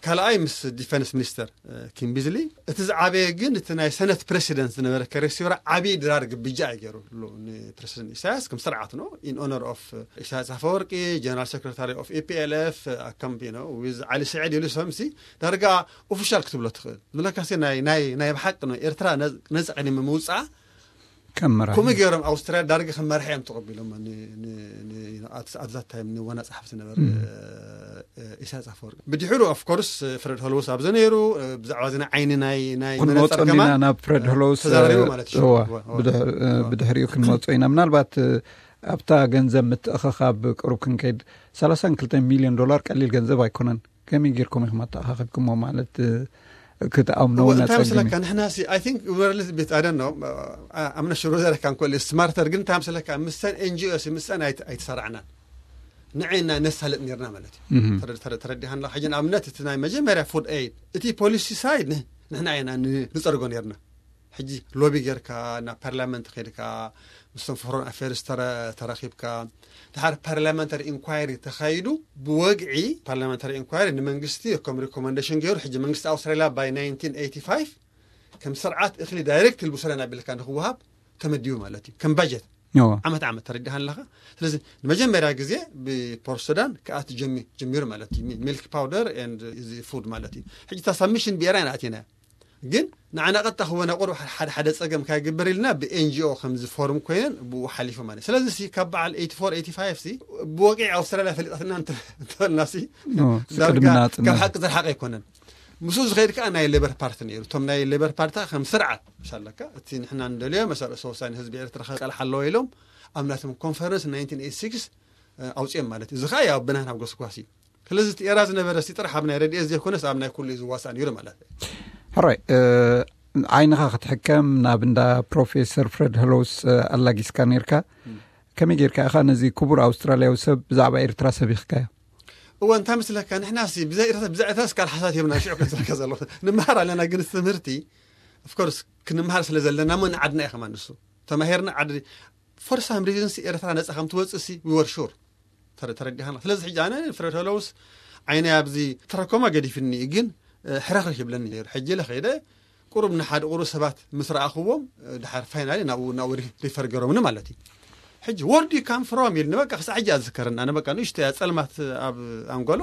ካልኣይ ምስ ዲፈንስ ሚኒስተር ኪም ቢዝሊ። እቲ ዝዓበየ ግን እቲ ናይ ሰነት ፕሬሲደንት ዝነበረ ከሬሲዮራ ዓብዪ ድራር ግብጃ እዩ ገይሩ ንፕሬሲደንት ኢሳያስ ከም ስርዓት ነው in honor of ኢሳያስ ኣፈወርቂ general secretary of EPLF ኣካምፕ ነው with ዓሊ ስዒድ ኢሉ ሰምሲ ዳርጋ ኦፊሻል ክትብሎ ትኽእል ዝብለካሲ ናይ ናይ ናይ ብሓቂ ነው ኤርትራ ነፃ ቅድሚ ምውፃኣ ከምኡ ገይሮም ኣውስትራልያ ዳርጋ ከም መራሒ እዮም ተቐቢሎም ኣዛታይም ንዋና ፀሓፍቲ ነበረ ኢሳያስ ኣፈወርቂ። ብድሕሩ ኦፍኮርስ ፍረድ ሆሎውስ ኣብዚ ነይሩ። ብዛዕባ እዚ ናይ ዓይኒ ናይ ናይ ክንመፆ መነፀር እንዲና ከማን ናብ ፍረድ ሆሎውስ ተዛራሪቡ ማለት እዩ። እዋ፣ እዋ፣ እዋ። ብድሕ- ብድሕሪኡ ክንመፆ ኢና። ምናልባት ኣብታ ገንዘብ ምትእኸኻብ ቅሩብ ክንከይድ ሰላሳን ክልተ ሚሊዮን ዶላር ቀሊል ገንዘብ ኣይኮነን። ከመይ ጌርኩም ኢኹም ኣተኣኻኺብኩሞ ማለት ክትኣምኖ እውን እንታይ ኣጸግም እዩ። መስለካ ንሕና ሲ I think we're a little bit I don't know ኣምነ ሽሮ ዘረካ እንኮል ስማርተር ግን እንታይ መስለካ ምሰን NGO ሲ ምሰን ኣይት- ኣይተሰራዕናን ንዐና ነሳልጥ ነርና ማለት እዩ። ተረ- ተረ- ተረዲኻና ሕጂ ንኣብነት እቲ ናይ መጀመርያ ፉድ ኤድ እቲ ፖሊሲ ሳይድ ንሕና ኢና ንፀርጎ ነርና። ሕጂ ሎቢ ጌርካ ናብ ፓርላመንት ከድካ ምስቶም ፎረን ኣፌርስ ተረ- ተራኺብካ ድሓር ፓርላመንታሪ ኢንኳይሪ ተኻይዱ ብወግዒ ፓርላመንታሪ ኢንኳይሪ ንመንግስቲ ከም ሪኮመንዴሽን ገይሩ ሕጂ መንግስቲ ኣውስትራሊያ ባይ ናይንቲን ኤይቲ ፋይቭ ከም ስርዓት እኽሊ ዳይሬክት ልብሶ ለና ቢልካ ንክወሃብ ተመዲቡ ማለት እዩ ከም ባጀት ዓመት ዓመት ተረዲኻ ኣለኻ። ስለዚ ንመጀመርያ ግዜ ብፖርት ሱዳን ክኣት ጀሚሩ ማለት እዩ። ሚልክ ፓውደር ን እዚ ፉድ ማለት እዩ። ሕጂ እታ ሳብሚሽን ብኤራይ ንኣቲና ግን ንዓና ቀጥታ ክወነ ቁሩብ ሓደ ሓደ ፀገም ካይግበር ኢልና ብኤንጂኦ ከምዚ ፎርም ኮይነን ብኡ ሓሊፉ ማለት ስለዚ ሲ ካብ በዓል ኤይቲ ፎር ኤይቲ ፋይቭ ሲ ብወቂዕ ኣውስትራልያ ፈሊጣትና እንተበልና ሲ ዳርጋ ካብ ሓቂ ዝረሓቀ ኣይኮነን። ምስኡ ዝኸይድ ከዓ ናይ ሌበር ፓርቲ ነይሩ። እቶም ናይ ሌበር ፓርቲ ከም ስርዓት መሻለካ እቲ ንሕና ንደልዮ መሰረሰ ወሳኒ ህዝቢ ኤርትራ ክቃልሓ ኣለዎ ኢሎም ኣብ ናቶም ኮንፈረንስ ናይንቲን ኤይቲ ሲክስ ኣውፅኦም ማለት እዩ። እዚ ከዓ ያው ብናህና ጎስጓስ እዩ። ስለዚ እቲ ኤራ ዝነበረ ሲ ጥራሕ ኣብ ናይ ረድኤት ዘይኮነስ ኣብ ናይ ኩሉ እዩ ዝዋሳእ ነይሩ ማለት እዩ። ሕራይ ዓይንኻ ክትሕከም ናብ እንዳ ፕሮፌሰር ፍሬድ ሄሎውስ ኣላጊስካ ነርካ። ከመይ ጌርካ ኢኻ ነዚ ክቡር ኣውስትራልያዊ ሰብ ብዛዕባ ኤርትራ ሰቢኽካዮ? እወ እንታይ መስለካ ንሕና ሲ ብዛይ ኤርትራ ብዛይ ኤርትራ ስካል ሓሳት የብና ሽዑ ከዝረካ ዘሎ ንምሃር ኣለና ግን ትምህርቲ ኦፍኮርስ ክንምሃር ስለ ዘለና ሞ ንዓድና እዩ ከማን ንሱ ተማሂርና ዓዲ for some reason ሲ ኤርትራ ነጻ ከም ትወጽእ ሲ we were sure። ተረ- ተረዲኻና። ስለዚ ሕጂ ኣነ ፍሬድ ሆሎውስ ዓይነይ ኣብዚ ትራኮማ ገዲፍኒ እዩ፣ ግን ሕረኽርኽ ይብለኒ ነይሩ። ሕጂ ኢለ ከይደ ቁሩብ ንሓደ ቁሩብ ሰባት ምስ ረኣኽዎም ድሓር ፋይናሊ ናብኡ ናብኡ ሪፈር ገሮምኒ ማለት እዩ። ሕጂ where do you come from ኢልኒ፣ በቃ ክሳዕ ሕጂ ኣዝከረኒ። ኣነ በቃ ንእሽቶ እያ ጸልማት ኣብ ኣንጎሎ።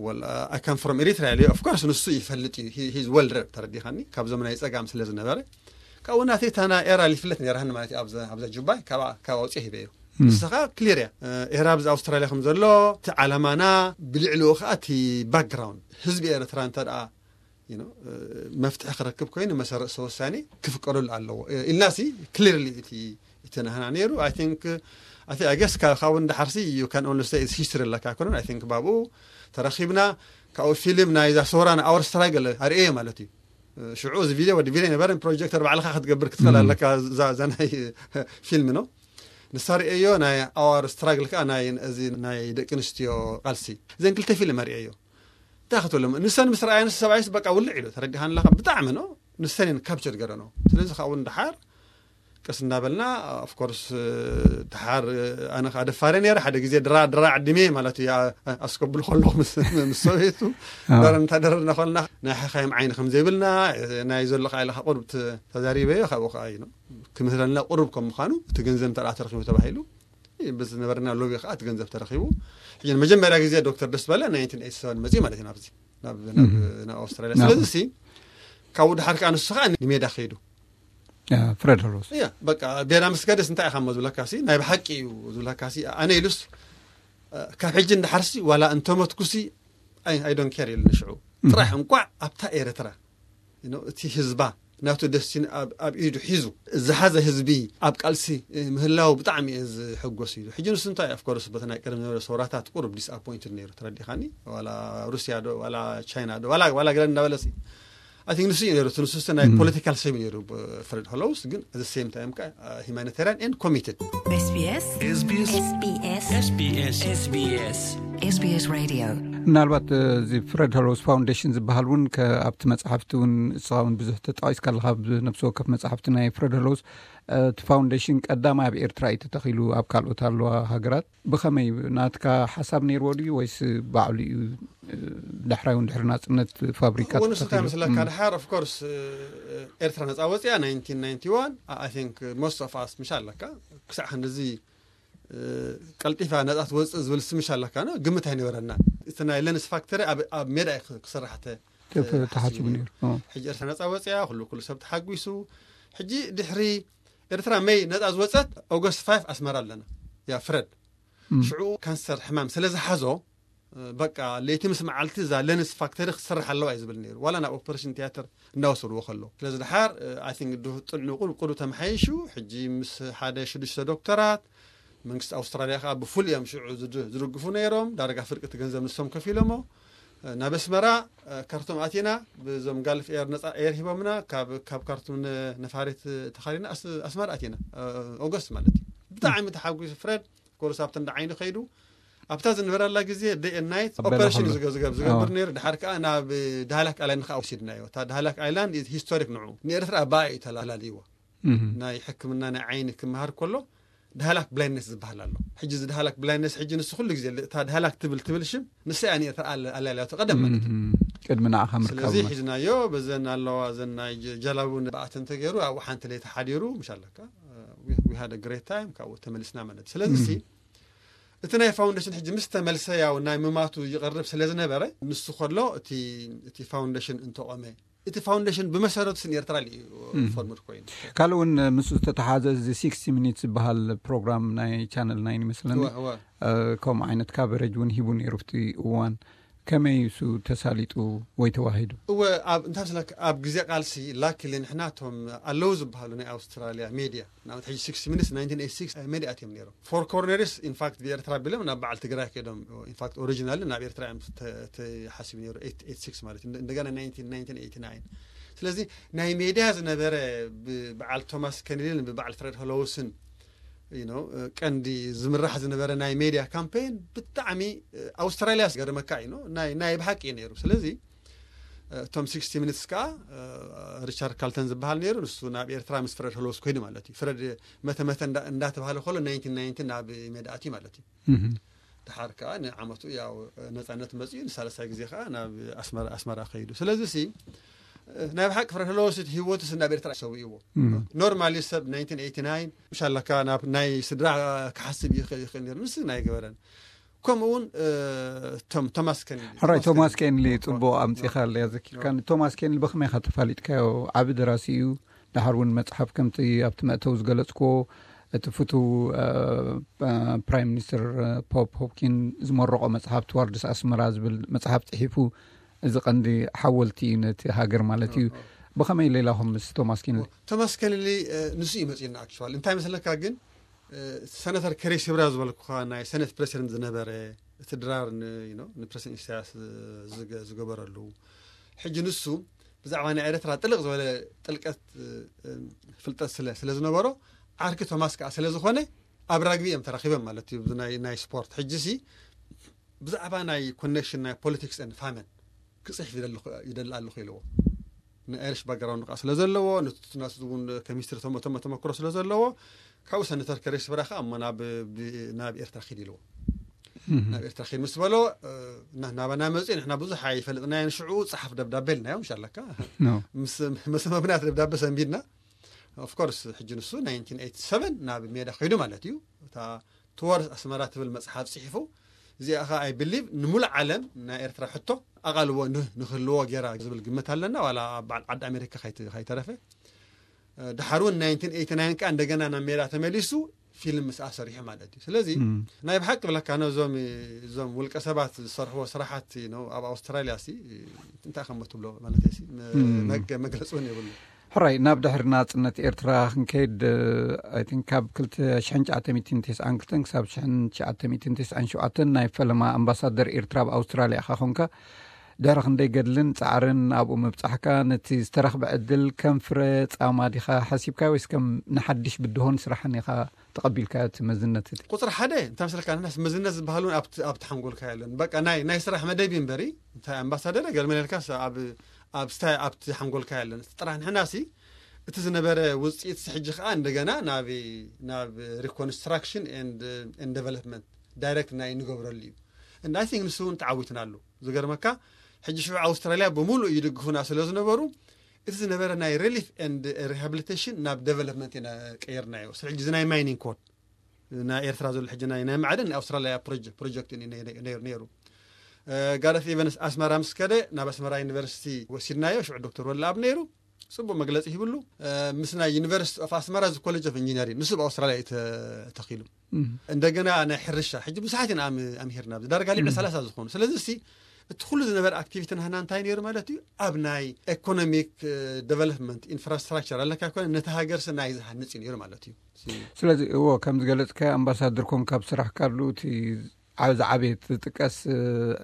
Well, I come from Eritrea ኢለ። Of course ንሱ ይፈልጥ እዩ፣ he's well read፣ ተረዲኻኒ፣ ካብዞም ናይ ጸጋም ስለ ዝነበረ። ካብኡ ናተይ እታ ናይ ኤራ ይፍለጥ ነይራኒ ማለት እዩ። ኣብዛ ኣብዛ ጁባይ ካብ ካብ ኣውጽኦ ሂበዮ። ንስኻ ክሊር እያ፣ ኤራ ኣብዚ ኣውስትራልያ ከም ዘሎ፣ እቲ ዓላማና፣ ብልዕሊኡ ከኣ እቲ ባክግራውንድ ህዝቢ ኤርትራ እንተ ደኣ you know፣ መፍትሒ ክረክብ ኮይኑ መሰረተ ውሳኔ ክፍቀደሉ ኣለዎ ኢልናሲ ክሊርሊ እቲ እቲ ናህና ነይሩ። I think እቲ I guess ካብኡ ንድሓርሲ you can only say it's history ኣለካ ኣይኮነን። I think ባብኡ ተረኺብና ካብኡ ፊልም ናይ ዛ ሶራ ናይ our struggle ኣርእየ ማለት እዩ። ሽዑ እዚ ቪድዮ ወዲ ቪድዮ ነበረን ፕሮጀክተር ባዕልኻ ክትገብር ክትኽእል ኣለካ። እዛ እዛ ናይ ፊልም ነው ንሳ ርእየዮ ናይ our struggle ከዓ ናይ እዚ ናይ ደቂ ኣንስትዮ ቃልሲ እዘን ክልተ ፊልም ኣርእየዮ። እንታይ ክትብሎም ንሰን ምስ ረኣየንስ ሰብኣይስ በቃ ውልዕ ኢሉ ተረዲኻን ኣለኻ ብጣዕሚ ነው ንሰን እየን ካፕቸር ገረኖ። ስለዚ ካብኡ ንድሓር ቀስ እንዳበልና of course ድሓር ኣነ ከዓ ደፋረ ነይረ ሓደ ግዜ ድራ ድራ ዓዲመ ማለት እዩ። ኣስከብሉ ከለኹ ምስ ምስ ሰበይቱ ደረ እንታደረና ከለና ናይ ሓኻይም ዓይኒ ከም ዘይብልና ናይ ዘሎ ከዓ ኢለ ቁርብ ተዛሪበዮ ካብኡ ከዓ እዩ ክምህረልና ቁርብ ከም ምዃኑ እቲ ገንዘብ እንተ ተረኪቡ ተባሂሉ ብዝነበረና ሎቢ ከዓ እቲ ገንዘብ ተረኪቡ ሕጂ መጀመርያ ግዜ ዶክተር ደስ በለ ናይንቲን ኤይቲ ሰቨን መፅኡ ማለት እዩ ናብዚ ናብ ናብ ናብ ኣውስትራልያ። ስለዚ ሲ ካብኡ ድሓር ከዓ ንሱ ከዓ ንሜዳ ከይዱ ፍረድ ሆሎስ እያ በቃ ቤላ ምስ ከደስ እንታይ ኢኻ እሞ ዝብለካ ሲ ናይ ብሓቂ እዩ ዝብለካ ሲ ኣነ ኢሉስ ካብ ሕጂ እንድሓርሲ ዋላ እንተመትኩሲ I don't care ኢሉ ንሽዑ ጥራሕ እንኳዕ ኣብታ ኤርትራ እቲ ህዝባ ናቱ ደስቲን ኣብ ኢዱ ሒዙ ዝሓዘ ህዝቢ ኣብ ቃልሲ ምህላው ብጣዕሚ እየ ዝሕጎስ ኢሉ። ሕጂ ንሱ እንታይ of course በቲ ናይ ቀደም ዝነበረ ሰውራታት ቁሩብ ዲስኣፖይንትድ ነይሩ ተረዲኻኒ። ዋላ ሩስያ ዶ ዋላ ቻይና ዶ ዋላ ዋላ ገለ እንዳበለሲ I think ንሱ እዩ ነይሩ እቲ ንሱ ናይ ፖለቲካል ሰብ ነይሩ ፍረድ ሆሎውስ ግን at the same time ከዓ humanitarian and committed። SBS SBS SBS SBS SBS Radio ምናልባት እዚ ፍረድ ሆሎውስ ፋውንዴሽን ዝበሃል እውን ኣብቲ መፅሓፍቲ እውን እስኻ እውን ብዙሕ ተጠቒስካ ኣለካ። ነብሲ ወከፍ መፅሓፍቲ ናይ ፍረድ ሆሎውስ እቲ ፋውንዴሽን ቀዳማይ ኣብ ኤርትራ እዩ ተተኺሉ፣ ኣብ ካልኦት ኣለዋ ሃገራት። ብኸመይ ናትካ ሓሳብ ነይርዎ ድዩ ወይስ ባዕሉ እዩ ዳሕራይ እውን ድሕሪ ናፅነት ፋብሪካ ወንሱ እንታይ መስለካ ድሓር of course ኤርትራ ነፃ ወፅያ ናይንቲን ናይንቲ ዋን I think most of us ምሽ ኣለካ ክሳዕ ክንድዚ ቀልጢፋ ነፃ ትወፅእ ዝብል ስምሽ ኣለካ ግምት ኣይነበረና። እቲ ናይ ለንስ ፋክተሪ ኣብ ሜዳ ክስራሕ ተሓሲቡ ነይሩ። ሕጂ ኤርትራ ነፃ ወፅያ ኩሉ ኩሉ ሰብ ተሓጒሱ። ሕጂ ድሕሪ ኤርትራ መይ ነፃ ዝወፀት ኦገስት ፋይቭ ኣስመራ ኣለና። ያ ፍረድ ሽዑ ካንሰር ሕማም ስለ ዝሓዞ በቃ ለይቲ ምስ መዓልቲ እዛ ለንስ ፋክተሪ ክትሰርሕ ኣለዋ እዩ ዝብል ነይሩ። ዋላ ናብ ኦፐሬሽን ቲያትር እንዳወሰድዎ ከሎ ስለዚ ድሓር I think ጥዕንኡ ቁሩብ ተመሓይሹ ሕጂ ምስ ሓደ ሽዱሽተ ዶክተራት መንግስቲ ኣውስትራልያ ከዓ ብፉል እዮም ሽዑ ዝድግፉ ነይሮም። ዳርጋ ፍርቂ እቲ ገንዘብ ንሶም ከፊሎሞ። ናብ ኣስመራ ካርቱም ኣቲና ብዞም ጋልፍ ኤር ነፃ ኤር ሂቦምና። ካብ ካርቱም ነፋሪት ተኻሪና ኣስመራ ኣቲና ኦገስት ማለት እዩ። ብጣዕሚ ተሓጒሱ ፍረድ ኮርስ ኣብቲ እንዳ ዓይኒ ከይዱ ኣብታ ዝነበረላ ግዜ day and night ኦፐሬሽን ዝገብር ነይሩ። ድሓር ከዓ ናብ ዳህላክ ኣይላንድ ከዓ ወሲድናዮ። እታ ዳህላክ ኣይላንድ ሂስቶሪክ ንዑ ንኤርትራ ኣባኣ እዩ ተላልይዋ። ናይ ሕክምና ናይ ዓይኒ ክመሃር ከሎ ዳህላክ ብላይንድነስ ዝበሃል ኣሎ። ሕጂ እዚ ዳህላክ ብላይንድነስ ሕጂ ንሱ ኩሉ ግዜ እታ ዳህላክ ትብል ትብል ሽም ንሳ እያ ንኤርትራ ኣላልያቶ ቀደም ማለት እዩ። ቅድሚ ንዓኻ ምርካቡ ስለዚ ማለት እዩ። ሒዝናዮ በዘን ኣለዋ ዘን ናይ ጀ- ጀላቡ ብኣተን ተገይሩ ኣብኡ ሓንቲ ለይቲ ሓዲሩ ምሽ ኣለካ we had a great time ካብኡ ተመሊስና ማለት እዩ። ስለዚ ሲ እቲ ናይ ፋውንዴሽን ሕጂ ምስ ተመልሰ ያው ናይ ምማቱ ይቐርብ ስለ ዝነበረ ንሱ ከሎ እቲ እቲ ፋውንዴሽን እንተቆመ እቲ ፋውንዴሽን ብመሰረቱ ስን ኤርትራ እዩ ፎርምድ ኮይኑ። ካልእ እውን ምስ ዝተተሓዘ እዚ ሲክስቲ ሚኒትስ ዝበሃል ፕሮግራም ናይ ቻነል ናይን ይመስለኒ እወ፣ እወ። ከምኡ ዓይነት ካቨሬጅ እውን ሂቡ ነይሩ ኣብቲ እዋን። ከመይ እሱ ተሳሊጡ ወይ ተዋሂዱ? እወ ኣብ እንታይ መስለካ ኣብ ግዜ ቃልሲ ላኪሊ ንሕና እቶም ኣለዉ ዝበሃሉ ናይ ኣውስትራልያ ሜድያ ንኣብነት ሕጂ ሲክስቲ ሚኒትስ ናይንቲን ኤይቲ ሲክስ ሜድያ ኣትዮም ነይሮም። ፎር ኮርነርስ ኢንፋክት ብኤርትራ ቢሎም ናብ በዓል ትግራይ ከይዶም ኢንፋክት ኦሪጂናሊ ናብ ኤርትራ እዮም ተሓሲቡ ነይሩ ኤይቲ ኤይቲ ሲክስ ማለት እዩ። እንደገና ናይንቲን ናይንቲን ኤይቲ ናይን ስለዚ ናይ ሜድያ ዝነበረ ብበዓል ቶማስ ከነዲን ብበዓል ፍሬድ ሆሎውስን ቀንዲ ዝምራሕ ዝነበረ ናይ ሜድያ ካምፔን ብጣዕሚ ኣውስትራልያ ገርመካ እዩ ናይ ብሓቂ እዩ ነይሩ። ስለዚ እቶም ሲክስቲ ሚኒትስ ከዓ ሪቻርድ ካልተን ዝበሃል ነይሩ። ንሱ ናብ ኤርትራ ምስ ፍረድ ሆሎስ ኮይኑ ማለት እዩ። ፍረድ መተ መተ እንዳተባሃለ ከሎ ናይንቲን ናይንቲን ናብ ሜዳ ኣትዩ ማለት እዩ። ድሓር ከዓ ንዓመቱ ያው ነፃነት መፅኡ፣ ንሳለሳይ ግዜ ከዓ ናብ ኣስመራ ከይዱ። ስለዚ ሲ ናይ ብሓቂ ፍረድ ሆሎስ ህይወቱ ናብ ኤርትራ ሰዊእዎ። ኖርማሊ ሰብ ናይንቲን ኤይቲ ናይን ምሻላካ ናብ ናይ ስድራ ክሓስብ ይኽእል ነይሩ፣ ንስ ናይ ገበረን። ከምኡ እውን ቶማስ ከኒሊ። ሕራይ ቶማስ ከኒሊ፣ ፅቡቅ ኣምፂኻ ኣለያ ዘኪርካ። ቶማስ ከኒሊ ብኸመይ ኢኻ ተፋሊጥካዮ? ዓቢ ደራሲ እዩ። ድሓር እውን መፅሓፍ ከምቲ ኣብቲ መእተው ዝገለፅክዎ እቲ ፍቱ ፕራይም ሚኒስትር ፖፕ ሆፕኪን ዝመረቆ መፅሓፍ ትዋርድስ ኣስመራ ዝብል መፅሓፍ ፅሒፉ። እዚ ቀንዲ ሓወልቲ እዩ ነቲ ሃገር ማለት እዩ። ብኸመይ ሌላኹም ምስ ቶማስ ከኒሊ? ቶማስ ከኒሊ ንሱ እዩ መፅኡና። ኣክቹዋሊ እንታይ መስለካ ግን ሰነተር ከሬስ ብራ ዝበልኩኻ ናይ ሰነት ፕሬሲደንት ዝነበረ፣ እቲ ድራር ንፕሬሲደንት ኢሳያስ ዝገበረሉ፣ ሕጂ ንሱ ብዛዕባ ናይ ኤርትራ ጥልቕ ዝበለ ጥልቀት ፍልጠት ስለ ዝነበሮ፣ ዓርኪ ቶማስ ከዓ ስለ ዝኾነ ኣብ ራግቢ እዮም ተራኺቦም ማለት እዩ። ናይ ስፖርት ሕጂ ሲ ብዛዕባ ናይ ኮኔክሽን ናይ ፖለቲክስ ን ፋመን ክፅሕፍ ይደሊ ኣለኹ ኢልዎ። ንኣይሪሽ ባክግራውንድ ከዓ ስለ ዘለዎ፣ ንትናስ እውን ከሚስትሪ ተመክሮ ስለ ዘለዎ፣ ካብኡ ሰነተር ከሬስ ብራ ከዓ እሞ ናብ ኤርትራ ኪድ ኢልዎ። ናብ ኤርትራ ኪድ ምስ በሎ ናባና መፅኡ። ንሕና ብዙሕ ኣይፈልጥናዮን ሽዑ፣ ፀሓፍ ደብዳቤ ኢልናዮ። ምሻለካ ምስ መብናት ደብዳቤ ሰንቢድና። ኦፍኮርስ ሕጂ ንሱ ናይንቲን ኤይቲ ሰቨን ናብ ሜዳ ከይዱ ማለት እዩ። እታ ትወርስ ኣስመራ ትብል መፅሓፍ ፅሒፉ። እዚኣ ኸ ኣይ ብሊቭ ንሙሉእ ዓለም ናይ ኤርትራ ሕቶ ኣቓልቦ ንክህልዎ ጌራ ዝብል ግምት ኣለና። ዋላ ኣብ በዓል ዓዲ ኣሜሪካ ከይተረፈ። ድሓር እውን ናይንቲን ኤይቲ ናይን ከዓ እንደገና ናብ ሜዳ ተመሊሱ ፊልም ምስኣ ሰሪሑ ማለት እዩ። ስለዚ ናይ ብሓቂ ብለካ ነዞም እዞም ውልቀ ሰባት ዝሰርሕዎ ስራሓት ነው ኣብ ኣውስትራልያ ሲ እንታይ ከም ትብሎ ማለት ሲ መግለፂ እውን የብሉ። ሕራይ፣ ናብ ድሕሪ ናጽነት ኤርትራ ክንከይድ፣ I think ካብ ክልተ ሽሕን ትሽዓተ ሚእትን ተስዓን ክልተን ክሳብ ሽሕን ትሽዓተ ሚእትን ተስዓን ሸውዓተን ናይ ፈለማ ኣምባሳደር ኤርትራ ኣብ ኣውስትራልያ ኢኻ ኮንካ። ድሕሪ ክንደይ ገድልን ጻዕርን ኣብኡ ምብጻሕካ፣ ነቲ ዝተረኽበ ዕድል ከም ፍረ ጻማ ዲኻ ሓሲብካ ወይስ ከም ንሓድሽ ብድሆን ስራሕን ኢኻ ተቐቢልካ እቲ መዝነት እቲ? ቁጽሪ ሓደ እንታይ መስለካ፣ ንሕናስ መዝነት ዝበሃል እውን ኣብቲ ሓንጎልካ የለን። በቃ ናይ ናይ ስራሕ መደብ እዩ እምበሪ፣ እንታይ ኣምባሳደር ገርመን ኢልካስ ኣብ ኣብ ስታይ ኣብቲ ሓንጎልካ የለን። እቲ ጥራሕ ንሕናሲ እቲ ዝነበረ ውፅኢት ሲ ሕጂ ከዓ እንደገና ናብ ናብ reconstruction and development ዳይሬክት ናይ ንገብረሉ እዩ። And I think ንሱ እውን ተዓዊትናሉ። ዝገርመካ ሕጂ ሽዑ ኣውስትራልያ ብምሉእ ይድግፉና ስለ ዝነበሩ እቲ ዝነበረ ናይ ሪሊፍ and ሪሃብሊቴሽን ናብ ዴቨሎፕመንት ኢና ቀይርናዮ። ስለ ሕጂ እዚ ናይ ማይኒንግ ኮድ ናይ ኤርትራ ዘሎ ሕጂ ናይ ናይ ማዕድን ናይ ኣውስትራልያ ፕሮጀክት ፕሮጀክት እዩ ነይሩ። ጋረት ኢቨንስ ኣስመራ ምስ ከደ ናብ ኣስመራ ዩኒቨርሲቲ ወሲድናዮ። ሽዑ ዶክተር ወልደኣብ ነይሩ፣ ጽቡቕ መግለጺ ሂብሉ። ምስ ናይ ዩኒቨርሲቲ ኦፍ ኣስመራ እዚ ኮሌጅ ኦፍ ኢንጂነሪንግ ንሱ ኣብ ኣውስትራልያ እዩ ተተኺሉ። እንደገና ናይ ሕርሻ ሕጂ ብዙሓት ኢና ኣምሂርና፣ ዳርጋ ልዕሊ ሰላሳ ዝኾኑ። ስለዚ ሲ እቲ ኩሉ ዝነበረ ኣክቲቪቲ ናህና እንታይ ነይሩ ማለት እዩ? ኣብ ናይ ኢኮኖሚክ ዴቨሎፕመንት ኢንፍራስትራክቸር ኣለካ ኮነ ነቲ ሃገር ሲ ናይ ዝሃንጽ እዩ ነይሩ ማለት እዩ። ስለዚ እዎ፣ ከም ዝገለጽካዮ ኣምባሳደር ኮንካ ኣብ ስራሕ ካሉ እቲ ዓብ ዝዓበየ ዝጥቀስ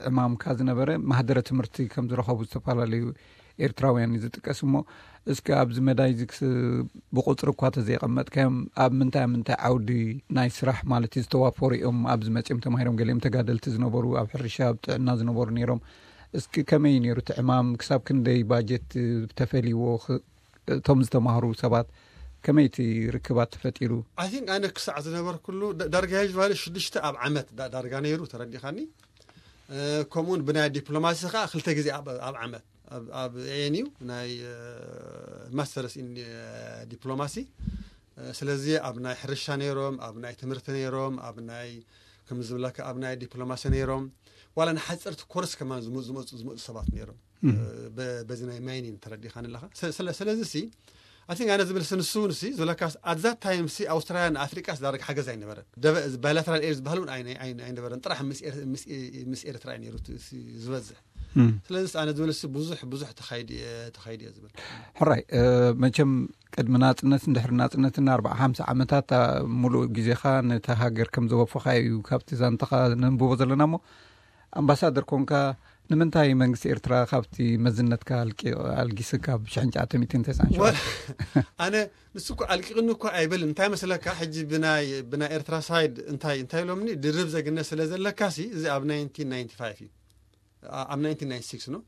ዕማምካ ዝነበረ ማህደረ ትምህርቲ ከም ዝረኸቡ ዝተፈላለዩ ኤርትራውያን እዩ ዝጥቀስ። እሞ እስኪ ኣብዚ መዳይ እዚ ብቁፅሪ እኳ ተዘይቀመጥካዮም ኣብ ምንታይ ኣብ ምንታይ ዓውዲ ናይ ስራሕ ማለት ዝተዋፈሩ እዮም ኣብዚ መፅኦም ተማሂሮም? ገሊኦም ተጋደልቲ ዝነበሩ፣ ኣብ ሕርሻ ኣብ ጥዕና ዝነበሩ ነይሮም። እስኪ ከመይ ነይሩ እቲ ዕማም? ክሳብ ክንደይ ባጀት ተፈልይዎ? እቶም ዝተማህሩ ሰባት ከመይ እቲ ርክባት ተፈጢሩ? I think ኣነ ክሳዕ ዝነበርኩሉ ዳርጋ ዩዝዋሊ ሽዱሽተ ኣብ ዓመት ዳርጋ ነይሩ፣ ተረዲኻኒ። ከምኡውን ብናይ ዲፕሎማሲ ከዓ ክልተ ግዜ ኣብ ዓመት ኣብ ኤንዩ ናይ ማስተርስ ኢን ዲፕሎማሲ። ስለዚ ኣብ ናይ ሕርሻ ነይሮም፣ ኣብ ናይ ትምህርቲ ነይሮም፣ ኣብ ናይ ከም ዝብለካ ኣብ ናይ ዲፕሎማሲ ነይሮም። ዋላ ንሓፀርቲ ኮርስ ከማን ዝመፁ ሰባት ነይሮም። በዚ ናይ ማይኒን ተረዲኻ ንለኻ። ስለዚ ሲ ኣቲንክ ኣነ ዝብል ስንሱ ንሲ ዝብለካ ኣት ዛት ታይም ሲ ኣውስትራልያ ንኣፍሪቃ ዝዳረግ ሓገዝ ኣይነበረን። ባይላተራል ኤድ ዝበሃል እውን ኣይነበረን። ጥራሕ ምስ ኤርትራ እዩ ነይሩ ዝበዝሕ። ስለዚ ኣነ ዝብል ሲ ብዙሕ ብዙሕ ተኻይዱ እየ ዝብል። ሕራይ፣ መቸም ቅድሚ ናጽነትን ድሕሪ ናጽነትን ኣርባዓ ሓምሳ ዓመታት ሙሉእ ግዜኻ ነታ ሃገር ከም ዘወፈኻ እዩ ካብቲ ዛንታኻ ነንብቦ ዘለና። እሞ ኣምባሳደር ኮንካ ንምንታይ መንግስቲ ኤርትራ ካብቲ መዝነትካ ኣልጊስካ ብ ሽሕን ትሽዓተ ሚእትን ተስዓን ሸውዓተን? ኣነ ንሱ እኮ ኣልቂቕኒ እኮ ኣይብል። እንታይ መስለካ፣ ሕጂ ብናይ ብናይ ኤርትራ ሳይድ እንታይ እንታይ ኢሎምኒ፣ ድርብ ዘግነት ስለ ዘለካ ሲ እዚ ኣብ ናይንቲን ናይንቲ ፋይቭ እዩ፣ ኣብ ናይንቲን ናይንቲ ሲክስ ነው።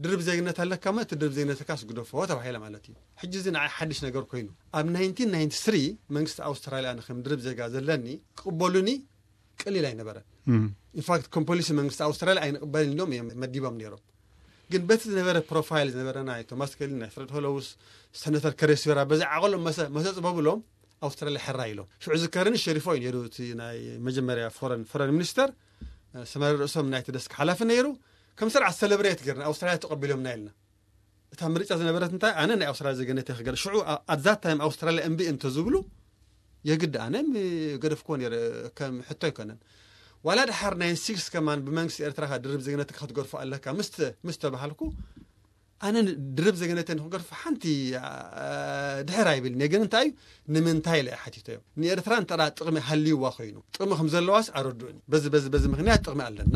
ድርብ ዜግነት ኣለካ ማለት ድርብ ዜግነትካስ ግደፎ ተባሂለ ማለት እዩ። ሕጂ እዚ ንዓይ ሓድሽ ነገር ኮይኑ ኣብ ናይንቲን ናይንቲ ስሪ መንግስቲ ኣውስትራልያ ኣነ ከም ድርብ ዜጋ ዘለኒ ክቕበሉኒ ቀሊል ኣይነበረን። ኢንፋክት ከም ፖሊሲ መንግስቲ ኣውስትራልያ ኣይንቕበልን ኢሎም እዮም መዲቦም ነይሮም። ግን በቲ ዝነበረ ፕሮፋይል ዝነበረ ናይ ቶማስ ከሊ ናይ ፍረድ ሆሎውስ ሰነተር ከሬስዮራ በዚ ዓቐሎም መሰ መሰ ጽበብሎም ኣውስትራልያ ሕራ ኢሎም። ሽዑ ዝከርኒ ሸሪፎ እዩ ነይሩ እቲ ናይ መጀመርያ ፎረን ፎረን ሚኒስተር ሰመረ ርእሶም ናይቲ ደስክ ሓላፊ ነይሩ። ከም ስርዓት ሰለብሬት ገርና ኣውስትራልያ ተቐቢሎምና ኢልና። እታ ምርጫ ዝነበረት እንታይ ኣነ ናይ ኣውስትራልያ ዜግነት ክገር ሽዑ ኣዛት ታይም ኣውስትራልያ እምቢ እንተዝብሉ የግድ ኣነ ገደፍኮ ነረ ከም ሕቶ ኣይኮነን። ዋላ ድሓር ናይ ሲክስ ከማን ብመንግስቲ ኤርትራ ድርብ ዜግነት ክትገርፎ ኣለካ ምስ ምስ ተባሃልኩ ኣነ ድርብ ዜግነተን ክገርፎ ሓንቲ ድሕር ኣይብል ግን እንታይ እዩ ንምንታይ ኢለ ሓቲተዮም ንኤርትራ እንተ ጥቕሚ ሃልይዋ ኮይኑ ጥቕሚ ከም ዘለዋስ ኣረድኡኒ በዚ በዚ በዚ ምክንያት ጥቕሚ ኣለና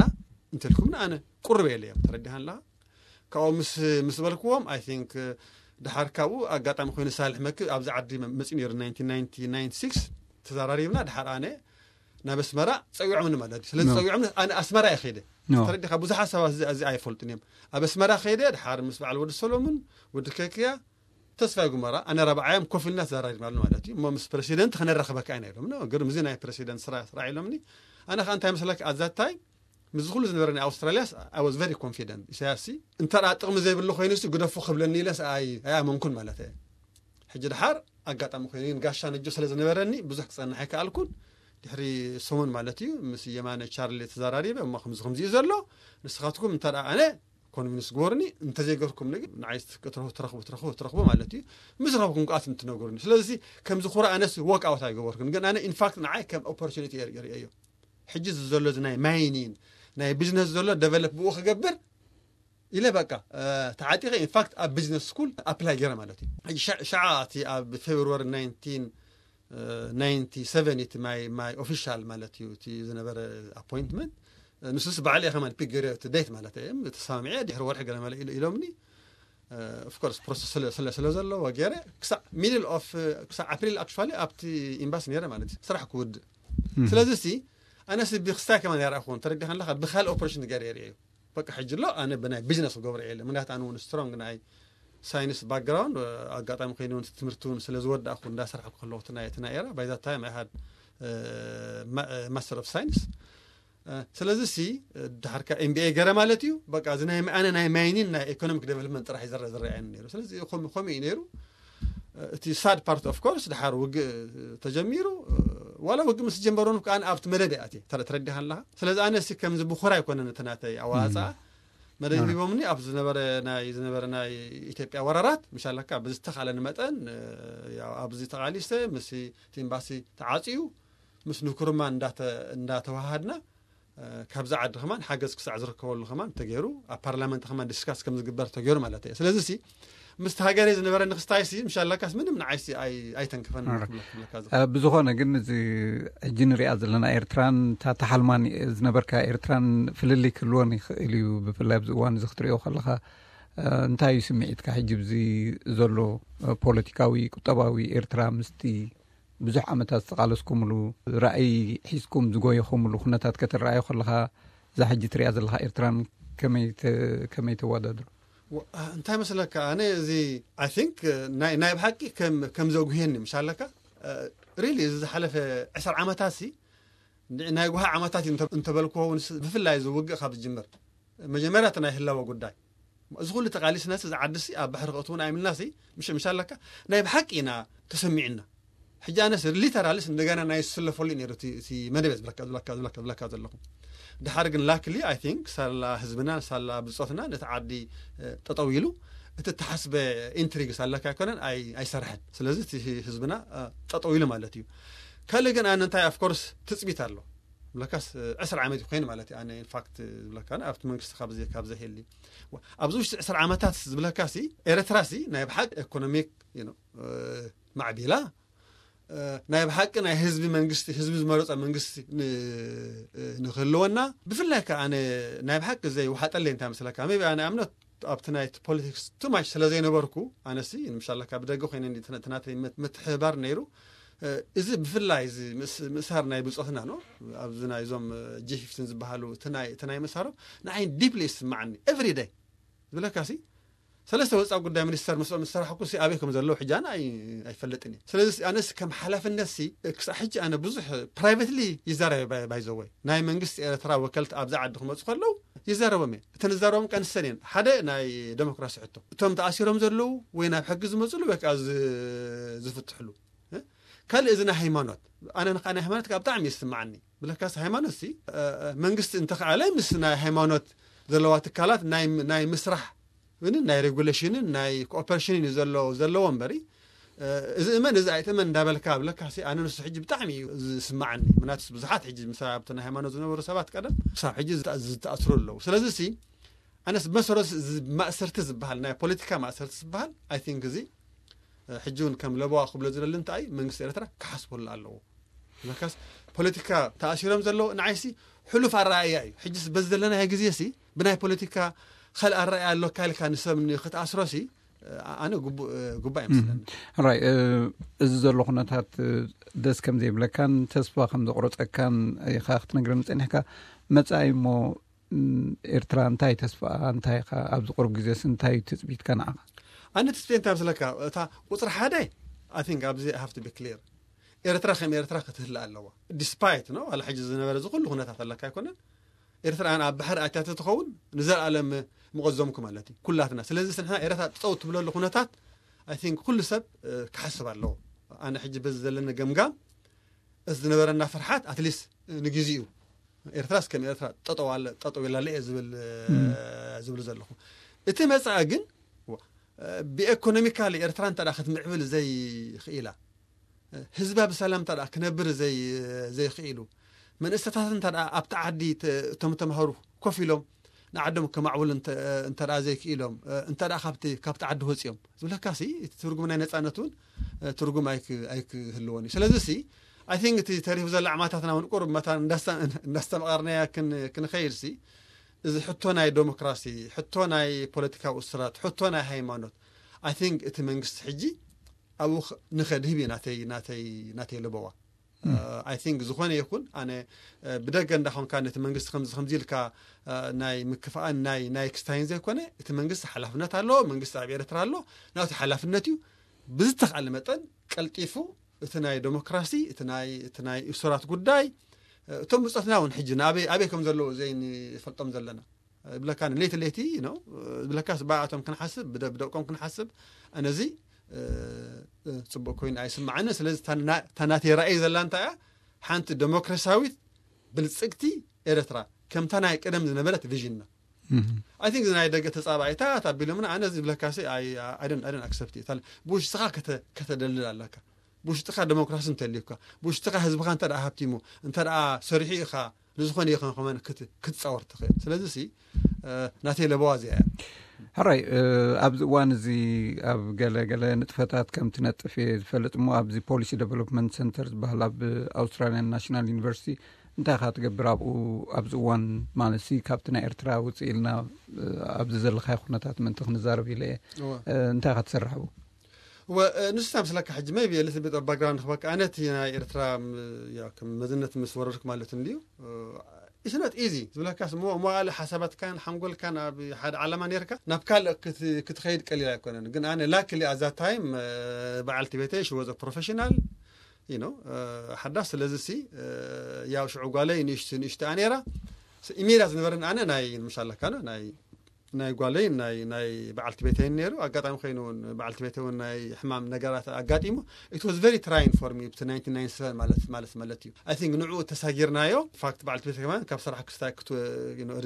እንተልኩምና ኣነ ቁርብ የለ እዮም ተረዲሃን ኣለካ። ካብኡ ምስ ምስ በልክዎም ኣይ ቲንክ ድሓር ካብኡ ኣጋጣሚ ኮይኑ ሳልሕ መክብ ኣብዚ ዓዲ መፂኡ ነይሩ ናይንቲን ናይንቲ ናይንቲ ሲክስ ተዘራሪብና ድሓር ኣነ ናብ ኣስመራ ፀዊዖምኒ ማለት እዩ ስለዚ No. ፀዊዖምኒ ኣነ ኣስመራ እየ ከይደ No. ተረዲኻ ብዙሓት ሰባት እዚ እዚ ኣይፈልጡን እዮም ኣብ ኣስመራ ከይደ ድሓር ምስ በዓል ወዲ ሰሎሙን ወዲ ከክያ ተስፋ ጉመራ ኣነ ረብዓዮም ኮፍ ኢልና ተዘራሪብናሉ ማለት እዩ እሞ ምስ ፕረሲደንት ክነራኽበካ ኢና ኢሎም ግርም እዚ ናይ ፕረሲደንት ስራ ስራሕ ኢሎምኒ ኣነ ከዓ እንታይ መስለክ ኣዛታይ ምስ ኩሉ ዝነበረ ናይ ኣውስትራልያስ I was very confident ኢሳያስ እንተ ጥቕሚ ዘይብሉ ኮይኑ ግደፉ ክብለኒ ኢለስ ኣይኣመንኩን ማለት እየ ሕጂ ድሓር ኣጋጣሚ ኮይኑ ግን ጋሻ ነጆ ስለ ዝነበረኒ ብዙሕ ክፀንሕ ኣይከኣልኩን ድሕሪ ሰሙን ማለት እዩ ምስ የማነ ቻርሊ ተዘራሪበ እሞ ከምዚ ከምዚ እዩ ዘሎ ንስኻትኩም እንተ ኣነ ኮንቪንስ ግበሩኒ እንተዘይገርኩም ንግ ንዓይ ክትረኽቡ ትረኽቡ ትረኽቡ ትረኽቡ ማለት እዩ ምስ ረኽብኩም ከኣ ትነገሩኒ ስለዚ ከምዚ ኩራ ኣነስ ወክ ኣውት ኣይገበርኩን ግን ኣነ ኢንፋክት ንዓይ ከም ኦፖርቹኒቲ እየ ርእየዮ ሕጂ እዚ ዘሎ እዚ ናይ ማይኒን ናይ ቢዝነስ ዘሎ ደቨሎፕ ብኡ ክገብር ኢለ በቃ ተዓጢቐ ኢንፋክት ኣብ ቢዝነስ ስኩል ኣፕላይ ገይረ ማለት እዩ ሸዓ እቲ ኣብ ፌብሩዋሪ ናይንቲን ናይንቲ ሰቨን እቲ ማይ ማይ ኦፊሻል ማለት እዩ እቲ ዝነበረ ኣፖይንትመንት ንሱስ ባዕል እየ ከማን ፒክ ገይረ እቲ ዴት ማለት እየ ተሰማሚዐ ድሕሪ ወርሒ ገለ መለ ኢሎምኒ ኦፍኮርስ ፕሮሰስ ስለ ስለ ዘለዎ ገይረ ክሳዕ ሚድል ኦፍ ክሳዕ ኣፕሪል ኣክቹዋሊ ኣብቲ ኤምባሲ ነይረ ማለት እዩ ስራሕ ክውድእ ስለዚ ሲ ኣነስ ብክስታይ ከማን ያርኣኹን ተረዲኻ ኣለካ ብካልእ ኦፕሬሽን ገይረ የርእየ እዩ በቃ ሕጂ ኣሎ ኣነ ብናይ ቢዝነስ ክገብሮ እየ ምክንያቱ ኣነ እውን ስትሮንግ ናይ ሳይንስ ባክግራውንድ ኣጋጣሚ ኮይኑ እውን ትምህርቲ እውን ስለ ዝወዳእኩ እንዳሰርሐኩ ከለኹ እቲ ናይ እቲ ናይ ኤራ ባይዛ ታይም ኣይ ሃድ ማስተር ኦፍ ሳይንስ ስለዚ ሲ ድሓርካ ኤምቢኤ ገረ ማለት እዩ በቃ እዚ ናይ ኣነ ናይ ማይኒን ናይ ኢኮኖሚክ ዴቨሎፕመንት ጥራሕ ይዘረ ዝረኣየኒ ነይሩ ስለዚ ከምኡ እዩ ነይሩ እቲ ሳድ ፓርት ኦፍ ኮርስ ድሓር ውግእ ተጀሚሩ ዋላ ውግእ ምስ ጀመሩ ከዓ ኣብቲ መደብ እያ ተረዲሃ ኣለካ ስለዚ ኣነ ሲ ከምዚ ብኩራ ኣይኮነን እቲ ናተይ ኣዋፃ መደብ ሂቦምኒ ኣብ ዝነበረ ናይ ዝነበረ ናይ ኢትዮጵያ ወራራት ምሻለካ ብዝተኻለኒ መጠን ኣብዚ ተቓሊሰ ምስ ኤምባሲ ተዓፅዩ ምስ ንኩርማ እንዳተዋሃድና ካብዛ ዓዲ ከማን ሓገዝ ክሳዕ ዝርከበሉ ከማን ተገይሩ ኣብ ፓርላመንት ከማን ዲስካስ ከም ዝግበር ተገይሩ ማለት እየ ስለዚ ሲ ምስቲ ሃገረይ ዝነበረኒ ክስታይ ሲ ምሻላካስ ምንም ንዓይ ሲ ኣይተንክፈን ብዝኾነ ግን እዚ ሕጂ ንሪኣ ዘለና ኤርትራን እታ ተሓልማን ዝነበርካ ኤርትራን ፍልልይ ክህልወን ይኽእል እዩ ብፍላይ ኣብዚ እዋን እዚ ክትሪኦ ከለካ እንታይ እዩ ስምዒትካ ሕጂ ብዚ ዘሎ ፖለቲካዊ ቁጠባዊ ኤርትራ ምስቲ ብዙሕ ዓመታት ዝተቓለስኩምሉ ራእይ ሒዝኩም ዝጎየኹምሉ ኩነታት ከተረኣዮ ከለኻ እዛ ሕጂ ትሪኣ ዘለኻ ኤርትራን ከመይ ተወዳድሩ? እንታይ መስለካ ኣነ እዚ ኣይ ቲንክ ናይ ብሓቂ ከም ዘጉህየኒ ምሽ ኣለካ ሪሊ እዚ ዝሓለፈ ዕስራ ዓመታት ሲ ናይ ጉሃ ዓመታት እዩ እንተበልክዎ እውን ብፍላይ እዚ ውግእ ካብ ዝጅምር መጀመርያ እቲ ናይ ህላወ ጉዳይ እዚ ኩሉ ተቃሊስናስ እዚ ዓድሲ ኣብ ባሕሪ ክእትውን ኣይምልናሲ ምሽ ምሽ ኣለካ ናይ ብሓቂ ኢና ተሰሚዕና ሕጂ ኣነስ ሊተራልስ እንደገና ናይ ዝስለፈሉ ነይሩ እቲ መደብ ዝብለካ ዝብለካ ዝብለካ ዝብለካ ዘለኹ ድሓር ግን ላክሊ ኣይ ቲንክ ሳላ ህዝብና ሳላ ብፆትና ነቲ ዓዲ ጠጠው ኢሉ እቲ ተሓስበ ኢንትሪግስ ኣለካ ኣይኮነን ኣይሰርሐን ስለዚ እቲ ህዝብና ጠጠው ኢሉ ማለት እዩ ካልእ ግን ኣነ እንታይ ኣፍኮርስ ትፅቢት ኣሎ ብለካስ ዕስራ ዓመት ኮይኑ ማለት እዩ ኣነ ኢንፋክት ዝብለካ ኣብቲ መንግስቲ ካብ ዘ ካብ ዘሄሊ ኣብዚ ውሽጢ ዕስራ ዓመታት ዝብለካ ሲ ኤርትራ ሲ ናይ ብሓቂ ኢኮኖሚክ ማዕቢላ ናይ ብሓቂ ናይ ህዝቢ መንግስቲ ህዝቢ ዝመረፀ መንግስቲ ንክህልወና ብፍላይ ከ ኣነ ናይ ብሓቂ ዘይውሓጠለይ እንታይ መስለካ ቢ ኣነ ኣምነት ኣብቲ ናይ ፖለቲክስ ቱማሽ ስለ ዘይነበርኩ ኣነሲ ንምሻለካ ብደገ ኮይነ ናተይ ምትሕባር ነይሩ እዚ ብፍላይ እዚ ምእሳር ናይ ብፆትና ኖ ኣብዚ ናይዞም ጂ ፊፍቲን ዝበሃሉ እቲ ናይ ምእሳሮም ንዓይ ዲፕሊ ይስማዓኒ ኤቭሪ ደይ ዝብለካ ሲ ሰለስተ ወፃኢ ጉዳይ ሚኒስተር ምስኦም ዝሰራሕኩ ሲ ኣበይ ከም ዘለዉ ሕጂ ኣነ ኣይፈልጥን እየ። ስለዚ ኣነስ ከም ሓላፍነት ሲ ክሳብ ሕጂ ኣነ ብዙሕ ፕራይቨትሊ ይዛረበ ባይዘወይ ናይ መንግስቲ ኤርትራ ወከልቲ ኣብዚ ዓዲ ክመፁ ከለዉ ይዛረቦም እየ። እተን ዝዛረቦም ቀንሰን እየን ሓደ ናይ ዴሞክራሲ ሕቶ እቶም ተኣሲሮም ዘለዉ ወይ ናብ ሕጊ ዝመፅሉ ወይ ከዓ ዝፍትሕሉ ካልእ እዚ ናይ ሃይማኖት ኣነ ንካ ናይ ሃይማኖት ካብ ብጣዕሚ ይስማዓኒ። ብለካስ ሃይማኖት ሲ መንግስቲ እንተኸኣለ ምስ ናይ ሃይማኖት ዘለዋ ትካላት ናይ ምስራሕ ን ናይ ሬጉሌሽንን ናይ ኮኦፐሬሽንን እዩ ዘሎ ዘለዎ እምበሪ እዚ እመን እዚ ኣይትእመን እንዳበልካ ብለካ ሲ ኣነ ንሱ ሕጂ ብጣዕሚ እዩ ዝስማዓኒ። ምናትስ ብዙሓት ሕጂ ምስ ኣብቲ ናይ ሃይማኖት ዝነበሩ ሰባት ቀደም ክሳብ ሕጂ ዝተኣስሩ ኣለዉ። ስለዚ ሲ ኣነስ መሰረት ማእሰርቲ ዝበሃል ናይ ፖለቲካ ማእሰርቲ ዝበሃል ኣይ ቲንክ እዚ ሕጂ እውን ከም ለበዋ ክብሎ ዝደሊ እንታይ መንግስቲ ኤርትራ ክሓስበሉ ኣለዎ። መካስ ፖለቲካ ተኣሲሮም ዘለዉ ንዓይሲ ሕሉፍ ኣረኣያ እዩ። ሕጂስ በዚ ዘለናዮ ግዜ ሲ ብናይ ፖለቲካ ካልእ ኣረኣያ ኣሎካ ኢልካ ንሰብ ክትኣስሮ ሲ ኣነ ግቡእ ይመስለኒ። ራይ እዚ ዘሎ ኩነታት ደስ ከም ዘይብለካን ተስፋ ከም ዘቁረፀካን ኢኻ ክትነግረኒ ፀኒሕካ። መፃኢ እሞ ኤርትራ እንታይ ተስፋ እንታይ ኢኻ ኣብዚ ቁሩብ ግዜስ እንታይ ትፅቢትካ ንዓኻ? ኣነ ትፅቢት እንታይ ምስለካ እታ ቁፅሪ ሓደ ኣይ ቲንክ ኣብዚ ሃፍቲ ቢ ክሊር ኤርትራ ከም ኤርትራ ክትህልእ ኣለዋ። ዲስፓይት ነው ዋላ ሕጂ ዝነበረ እዚ ኩሉ ኩነታት ኣለካ ኣይኮነን። ኤርትራ ኣብ ባሕሪ ኣትያ ተትኸውን ንዘለኣለም ምቐዞምኩ ማለት እዩ ኩላትና። ስለዚ ንሕና ኤርትራ ጠጠው ትብለሉ ኩነታት ኣይ ቲንክ ኩሉ ሰብ ክሓስብ ኣለዎ። ኣነ ሕጂ በዚ ዘለኒ ገምጋም እዚ ዝነበረና ፍርሓት ኣትሊስት ንግዜኡ ኤርትራስ ከም ኤርትራ ጠጠው ኣለ ጠጠው ኢላለ እየ ዝብል ዝብል ዘለኹ። እቲ መጻኢ ግን ብኤኮኖሚካሊ ኤርትራ እንተ ክትምዕብል ዘይኽኢላ ህዝባ ብሰላም እንተ ክነብር ዘይኽኢሉ መንእሰታት እንተ ኣብቲ ዓዲ እቶም ተምሃሩ ኮፍ ኢሎም ንዓዶም ከማዕብሉ እንተ ዘይክኢሎም እንተ ካብቲ ዓዲ ወፂኦም ዝብለካ ሲ እቲ ትርጉም ናይ ነፃነት እውን ትርጉም ኣይክህልዎን እዩ። ስለዚ ሲ ኣይ ቲንክ እቲ ተሪፉ ዘሎ ዓማታትና እውን ቁሩብ መታ እንዳስተምቐርናያ ክንኸይድ ሲ እዚ ሕቶ ናይ ዴሞክራሲ ሕቶ ናይ ፖለቲካዊ እስራት ሕቶ ናይ ሃይማኖት ኣይ ቲንክ እቲ መንግስቲ ሕጂ ኣብኡ ንኸድህብ እዩ ናተይ ናተይ ናተይ ለበዋ። ኣይ ቲንክ ዝኾነ ይኹን ኣነ ብደገ እንዳኾንካ ነቲ መንግስቲ ከምዚ ከምዚ ኢልካ ናይ ምክፍኣን ናይ ናይ ክስታይን ዘይኮነ እቲ መንግስቲ ሓላፍነት ኣለዎ። መንግስቲ ኣብ ኤርትራ ኣሎ ናቱ ሓላፍነት እዩ። ብዝተኻለ መጠን ቀልጢፉ እቲ ናይ ዴሞክራሲ እቲ ናይ እቲ ናይ እሱራት ጉዳይ እቶም ብፆትና እውን ሕጂ ንኣበይ ኣበይ ከም ዘለዉ ዘይንፈልጦም ዘለና ብለካ ለይቲ ለይቲ ነው ብለካ ስባኣቶም ክንሓስብ ብደቆም ክንሓስብ ኣነዚ ፅቡቅ ኮይኑ ኣይስማዓኒ። ስለዚ ታናተይ ራእይ ዘላ እንታይ እያ ሓንቲ ዴሞክራሲያዊት ብልፅግቲ ኤርትራ ከምታ ናይ ቀደም ዝነበረት ቪዥንና ኣይ ቲንክ ናይ ደገ ተፃባኢታት ኣቢሎምና ኣነ ዝብለካ ኣይደን ኣክሰፕት ብውሽጥኻ ከተደልል ኣለካ። ብውሽጥኻ ዴሞክራሲ እንተልዩካ ብውሽጥኻ ህዝብኻ እንተ ሃብቲሙ እንተ ሰሪሑ ኢኻ ንዝኾነ ይኸንኸመን ክትፃወር ትኽእል። ስለዚ ሲ ናተይ ለበዋ እዚኣ እያ። ሕራይ ኣብዚ እዋን እዚ ኣብ ገለ ገለ ንጥፈታት ከም ትነጥፍ እየ ዝፈልጥ እሞ ኣብዚ ፖሊሲ ዴቨሎፕመንት ሰንተር ዝበሃል ኣብ ኣውስትራሊያን ናሽናል ዩኒቨርሲቲ እንታይ ኢኻ ትገብር ኣብኡ ኣብዚ እዋን ማለት ሲ ካብቲ ናይ ኤርትራ ውፅእ ኢልና ኣብዚ ዘለካዮ ኩነታት ምእንቲ ክንዛረብ ኢለ እየ እንታይ ኢኻ ትሰርሕ ኣብኡ? ንስታ ምስለካ ሕጂ መይ ብየ ልትል ቤት ባክግራውንድ ክበካ ኣነ እቲ ናይ ኤርትራ ከም መዝነት ምስ ወረድኩ ማለት እንድዩ ኢስነት ኢዚ ዝብለካ መዋእለ ሓሳባትካን ሓንጎልካን ኣብ ሓደ ዓላማ ነርካ ናብ ካልእ ክትኸይድ ቀሊል ኣይኮነን። ግን ኣነ ላክሊ ኣዛ ታይም በዓልቲ ቤተይ ሽወዘ ፕሮፌሽናል ሓዳስ ስለዚ ሲ ያው ሽዑ ጓለይ ንእሽቲ ንእሽቲ ኣኔራ ኢሜዳ ዝነበረን ኣነ ናይ ምሻለካ ናይ ጓለይ ናይ በዓልቲ ቤተይን ነይሩ። ኣጋጣሚ ኮይኑ በዓልቲ ቤተይ እውን ናይ ሕማም ነገራት ኣጋጢሙ it was very trying for me ብቲ ማለት ማለት እዩ። I think ንዕኡ ተሳጊርናዮ ፋክት በዓልቲ ቤተ ከማን ካብ ስራሕ ክስታይ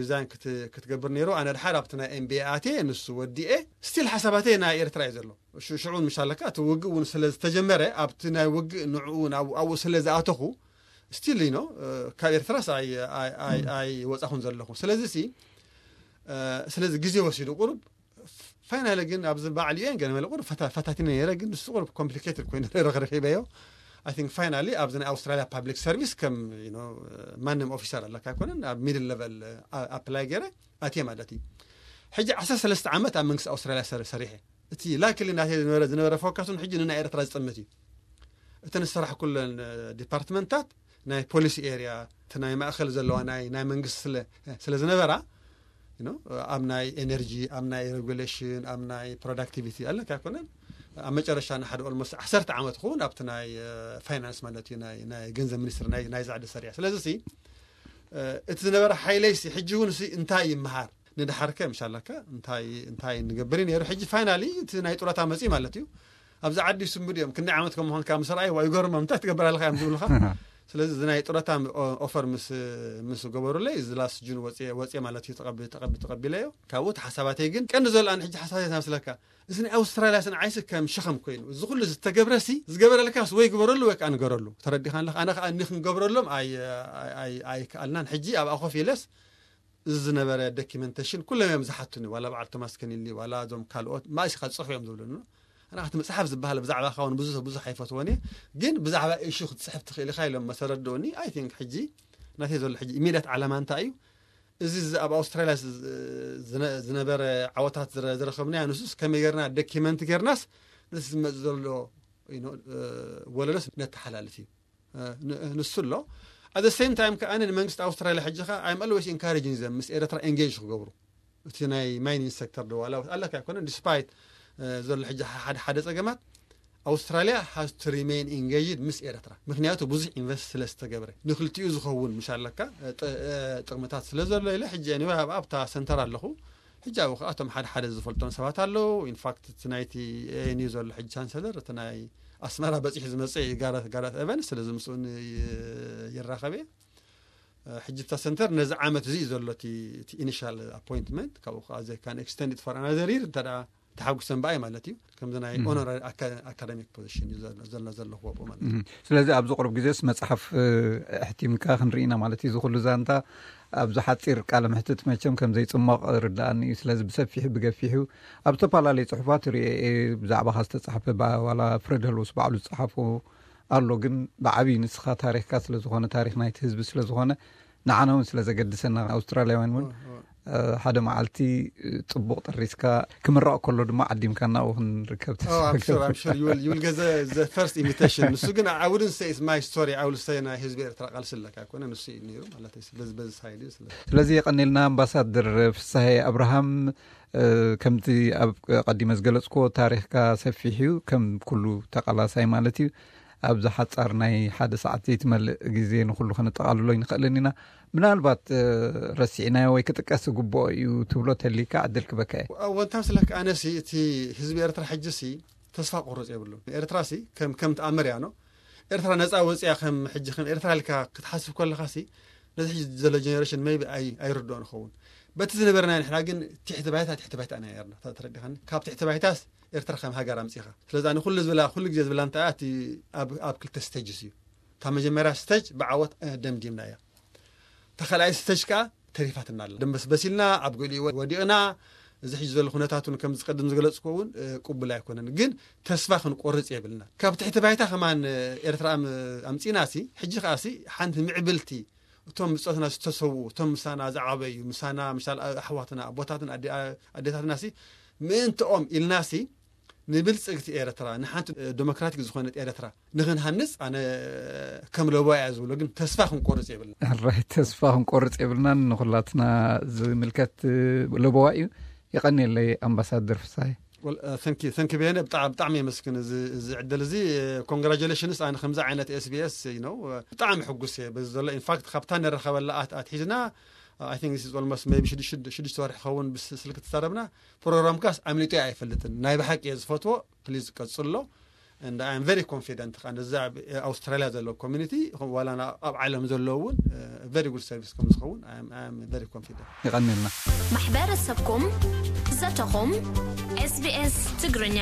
ሪዛይን ክትገብር ነይሩ። ኣነ ድሓር ኣብቲ ናይ ኤምቢኤ ኣትየ ንሱ ወዲኤ ስቲል ሓሳባተይ ናይ ኤርትራ እዩ ዘሎ። ሽዑን ምሻለካ እቲ ውግእ እውን ስለ ዝተጀመረ ኣብቲ ናይ ውግእ ንዕኡ ኣብኡ ስለ ዝኣተኹ ስቲል ኖ ካብ ኤርትራስ ኣይወፃኹን ዘለኹ። ስለዚ ሲ ስለዚ ግዜ ወሲዱ ቁሩብ ፋይናሊ ግን ኣብዚ በዓል ዩኤን ገለ መለ ቁሩብ ፈታቲነ ነይረ። ግን ንሱ ቁሩብ ኮምፕሊኬትድ ኮይኑ ረኺበዮ። I think finally ኣብዚ ናይ ኣውስትራሊያ ፓብሊክ ሰርቪስ ከም ማንም ኦፊሰር ኣለካ ኣይኮነን ኣብ ሚድል ለቨል ኣፕላይ ገይረ ኣትየ ማለት እዩ። ሕጂ ዓሰርተ ሰለስተ ዓመት ኣብ መንግስቲ ኣውስትራሊያ ሰሪሐ እቲ ላክሊ ናተይ ዝነበረ ዝነበረ ፎካሱን ሕጂ ንናይ ኤርትራ ዝጥምት እዩ። እተን ዝሰራሕ ኩለን ዲፓርትመንታት ናይ ፖሊሲ ኤርያ እቲ ናይ ማእኸል ዘለዋ ናይ ናይ መንግስቲ ስለ ስለ ዝነበራ you know፣ ኣብ ናይ ኤነርጂ፣ ኣብ ናይ ሬጉሌሽን፣ ኣብ ናይ ፕሮዳክቲቪቲ ኣለካ ኣይኮነን። ኣብ መጨረሻ ንሓደ ኦልሞስት ዓሰርተ ዓመት ክኸውን ኣብቲ ናይ ፋይናንስ ማለት እዩ፣ ናይ ገንዘብ ሚኒስትር ናይ ዛዕዲ ሰሪያ። ስለዚ እቲ ዝነበረ ሓይለይሲ ሕጂ እውን ሲ እንታይ ይመሃር ንድሓርከ ምሻለካ እንታይ እንታይ ንገብር ነይሩ። ሕጂ ፋይናሊ እቲ ናይ ጡረታ መፂ ማለት እዩ። ኣብዚ ዓዲ ይስምዱ እዮም። ክንደይ ዓመት ከም ምዃንካ ምስ ረኣዩ ይገርሞም፣ እንታይ ትገብር ኣለካ እዮም ዝብሉካ። ስለዚ እዚ ናይ ጡረታ ኦፈር ምስ ምስ ገበሩለይ እዚ ላስት ጁን ወፅየ ወፅየ ማለት እዩ። ተቐቢ ተቐቢ ተቐቢለዮ። ካብኡ እቲ ሓሳባተይ ግን ቀንዲ ዘሎ ኣነ ሕጂ ሓሳባተይ መስለካ እዚ ናይ ኣውስትራልያ ስን ዓይሲ ከም ሸኸም ኮይኑ እዚ ኩሉ ዝተገብረሲ ዝገበረልካስ ወይ ግበረሉ ወይ ከዓ ንገረሉ። ተረዲኻ ኣለካ። ኣነ ከዓ እኒ ክንገብረሎም ኣይከኣልናን። ሕጂ ኣብኣ ኮፍ ኢለስ እዚ ዝነበረ ዶኪመንቴሽን ኩሎም እዮም ዝሓቱኒ። ዋላ በዓል ቶማስ ከኒሊ ዋላ እዞም ካልኦት ማእሲኻ ዝፅሕፉ እዮም ዝብሉኒ። ኣነ እቲ መፅሓፍ ዝበሃል ብዛዕባኻ እውን ብዙሕ ብዙሕ ኣይፈትዎን እየ፣ ግን ብዛዕባ ኢሹ ክትፅሕፍ ትኽእል ኢኻ ኢሎም መሰረድኡኒ። ኣይ ቲንክ ሕጂ ናተይ ዘሎ ሕጂ ኢሚድያት ዓላማ እንታይ እዩ? እዚ ኣብ ኣውስትራልያ ዝነበረ ዓወታት ዝረኸብናዮ ንሱስ ከመይ ጌርና ዶኪመንት ጌርናስ ነቲ ዝመፅ ዘሎ ወለዶስ ነተሓላልፍ እዩ። ንሱ ኣሎ። ኣት ሴም ታይም ከኣ ንመንግስቲ ኣውስትራልያ ሕጂ ከ I'm always encouraging them ምስ ኤረትራ ኤንጌጅ ክገብሩ። እቲ ናይ ማይኒንግ ሴክተር ዶ ዋላ ኣለካ ኣይኮነን፣ ዲስፓይት ዘሎ ሕጂ ሓደ ሓደ ጸገማት ኣውስትራልያ has to remain engaged ምስ ኤረትራ፣ ምክንያቱ ብዙሕ ኢንቨስት ስለ ዝተገብረ ንክልቲኡ ዝኸውን ምሽ ኣለካ ጥቕምታት ስለ ዘሎ ኢለ ሕጂ ኣብታ ሰንተር ኣለኹ። ሕጂ ኣብኡ ከኣ እቶም ሓደ ሓደ ዝፈልጦም ሰባት ኣለዉ። ኢንፋክት እቲ ናይቲ ኤኤንዩ ዘሎ ሕጂ ቻንሰለር እቲ ናይ ኣስመራ በፂሑ ዝመፅእ እዩ ጋራት ጋራት ኤቨንስ። ስለዚ ምስኡ ይራኸብ እየ። ሕጂ እታ ሰንተር ነዚ ዓመት እዚ እዩ ዘሎ እቲ ኢኒሻል ኣፖይንትመንት። ካብኡ ከዓ they can extend it for another year እንተ ተሓጉሰን በኣይ ማለት እዩ። ከምዚ ናይ ኦኖራሪ ኣካዳሚክ ፖዚሽን እዩ ዘሎ ዘለኹ ኣብኡ ማለት እዩ። ስለዚ ኣብዚ ቁሩብ ግዜስ መፅሓፍ ኣሕቲምካ ክንርኢና ማለት እዩ። እዚ ኩሉ ዛንታ ኣብዚ ሓፂር ቃለ ምሕትት መቸም ከም ዘይፅመቕ ርዳኣኒ እዩ። ስለዚ ብሰፊሑ ብገፊሑ ኣብ ዝተፈላለዩ ፅሑፋት ርእየ እየ ብዛዕባኻ ዝተፃሕፈ ዋላ ፍረድ ህልውስ ባዕሉ ዝፀሓፎ ኣሎ። ግን ብዓብዪ ንስኻ ታሪኽካ ስለዝኾነ ታሪኽ ናይቲ ህዝቢ ስለዝኾነ ንዓና እውን ስለ ዘገድሰና ኣውስትራልያውያን እውን ሓደ መዓልቲ ፅቡቕ ጠሪስካ ክምረቕ ከሎ ድማ ዓዲምካ ናብኡ ክንርከብ ተስፋ ገብር። First invitation ንሱ ግን I wouldn't say it's my story. I will say ናይ ህዝቢ ኤርትራ ቃልሲ ኣለካ ኣይኮነ ንሱ እዩ ነይሩ ማለት እዩ። ስለዚ በዚ ሳይድ እዩ። ስለዚ ስለዚ የቐኔልና ኣምባሳደር ፍሳሄ ኣብርሃም ከምቲ ኣብ ቀዲመ ዝገለፅክዎ ታሪኽካ ሰፊሕ እዩ ከም ኩሉ ተቓላሳይ ማለት እዩ። ኣብዚ ሓፃር ናይ ሓደ ሰዓት ዘይትመልእ ግዜ ንኩሉ ከነጠቓልሎ ይንኽእልን ኢና። ምናልባት ረሲዕናዮ ወይ ክጥቀስ ዝግብኦ እዩ ትብሎ ተሊካ ዕድል ክበካ እየ። ወንታ ስለክ ኣነሲ እቲ ህዝቢ ኤርትራ ሕጂ ሲ ተስፋ ቆርፅ የብሉን። ኤርትራ ሲ ከም ከም ተኣምር እያ ነው ኤርትራ ነፃ ወፅያ ከም ሕጂ ከም ኤርትራ ኢልካ ክትሓስብ ከለካ ሲ ነዚ ሕጂ ዘሎ ጀኔሬሽን ሜይቢ ኣይርድኦ ንኸውን። በቲ ዝነበረና ንሕና ግን ትሕቲ ባይታ ትሕቲ ባይታ ኢና ነርና ተረዲኻኒ። ካብ ትሕቲ ባይታስ ኤርትራ ከም ሃገር ኣምፂኻ። ስለዚ ኣነ ኩሉ ዝበላ ኩሉ ግዜ ዝበላ እንታይ እያ እቲ ኣብ ክልተ ስቴጅስ እዩ። ካብ መጀመርያ ስተጅ ብዓወት ደምዲምና እያ። ተኸልኣይ ስተጅ ከዓ ተሪፋትና ኣላ። ደንበስበስ ኢልና ኣብ ገሊኡ ወዲቕና። እዚ ሕጂ ዘሎ ኩነታት እውን ከምዚ ቅድም ዝገለፅኩ እውን ቅቡል ኣይኮነን። ግን ተስፋ ክንቆርፅ የብልና። ካብ ትሕቲ ባይታ ከማን ኤርትራ ኣምፂና ሲ ሕጂ ከዓ ሲ ሓንቲ ምዕብልቲ እቶም ብፆትና ዝተሰውኡ እቶም ምሳና ዝዓበዩ ምሳና ምሻል ኣሕዋትና ኣቦታትና ኣዴታትና ሲ ምእንትኦም ኢልና ሲ ንብልፅግቲ ኤርትራ ንሓንቲ ዴሞክራቲክ ዝኾነት ኤርትራ ንክንሃንፅ ኣነ ከም ለቦ እያ ዝብሎ ግን ተስፋ ክንቆርፅ የብልና። ራይ ተስፋ ክንቆርፅ የብልናን ንኩላትና ዝምልከት ለቦዋ እዩ። የቐንየለይ ኣምባሳደር ፍሳይ። ተንኪ በየነ ብጣዕሚ የመስግን እዚ ዕድል እዚ። ኮንግራጁሌሽንስ ኣነ ከምዚ ዓይነት ኤስቢኤስ ነው ብጣዕሚ ሕጉስ እየ በዚ ዘሎ ኢንፋክት ካብታ ንረኸበላ ኣትሒዝና I think this is almost maybe ሽዱሽተ ወርሒ ኸውን ብስልክ ተዛረብና። ፕሮግራምካስ ኣምሊጡ ኣይፈልጥን። ናይ ብሓቂ እየ ዝፈትዎ። ፕሊዝ ቀጽሎ። And I am very confident ከኣ ነዚ ኣብ ኣውስትራልያ ዘሎ ኮሚኒቲ ዋላ ኣብ ዓለም ዘሎ እውን very good service ከም ዝኸውን I am very confident። ይቐንልና። ማሕበረሰብኩም ዘተኹም SBS ትግርኛ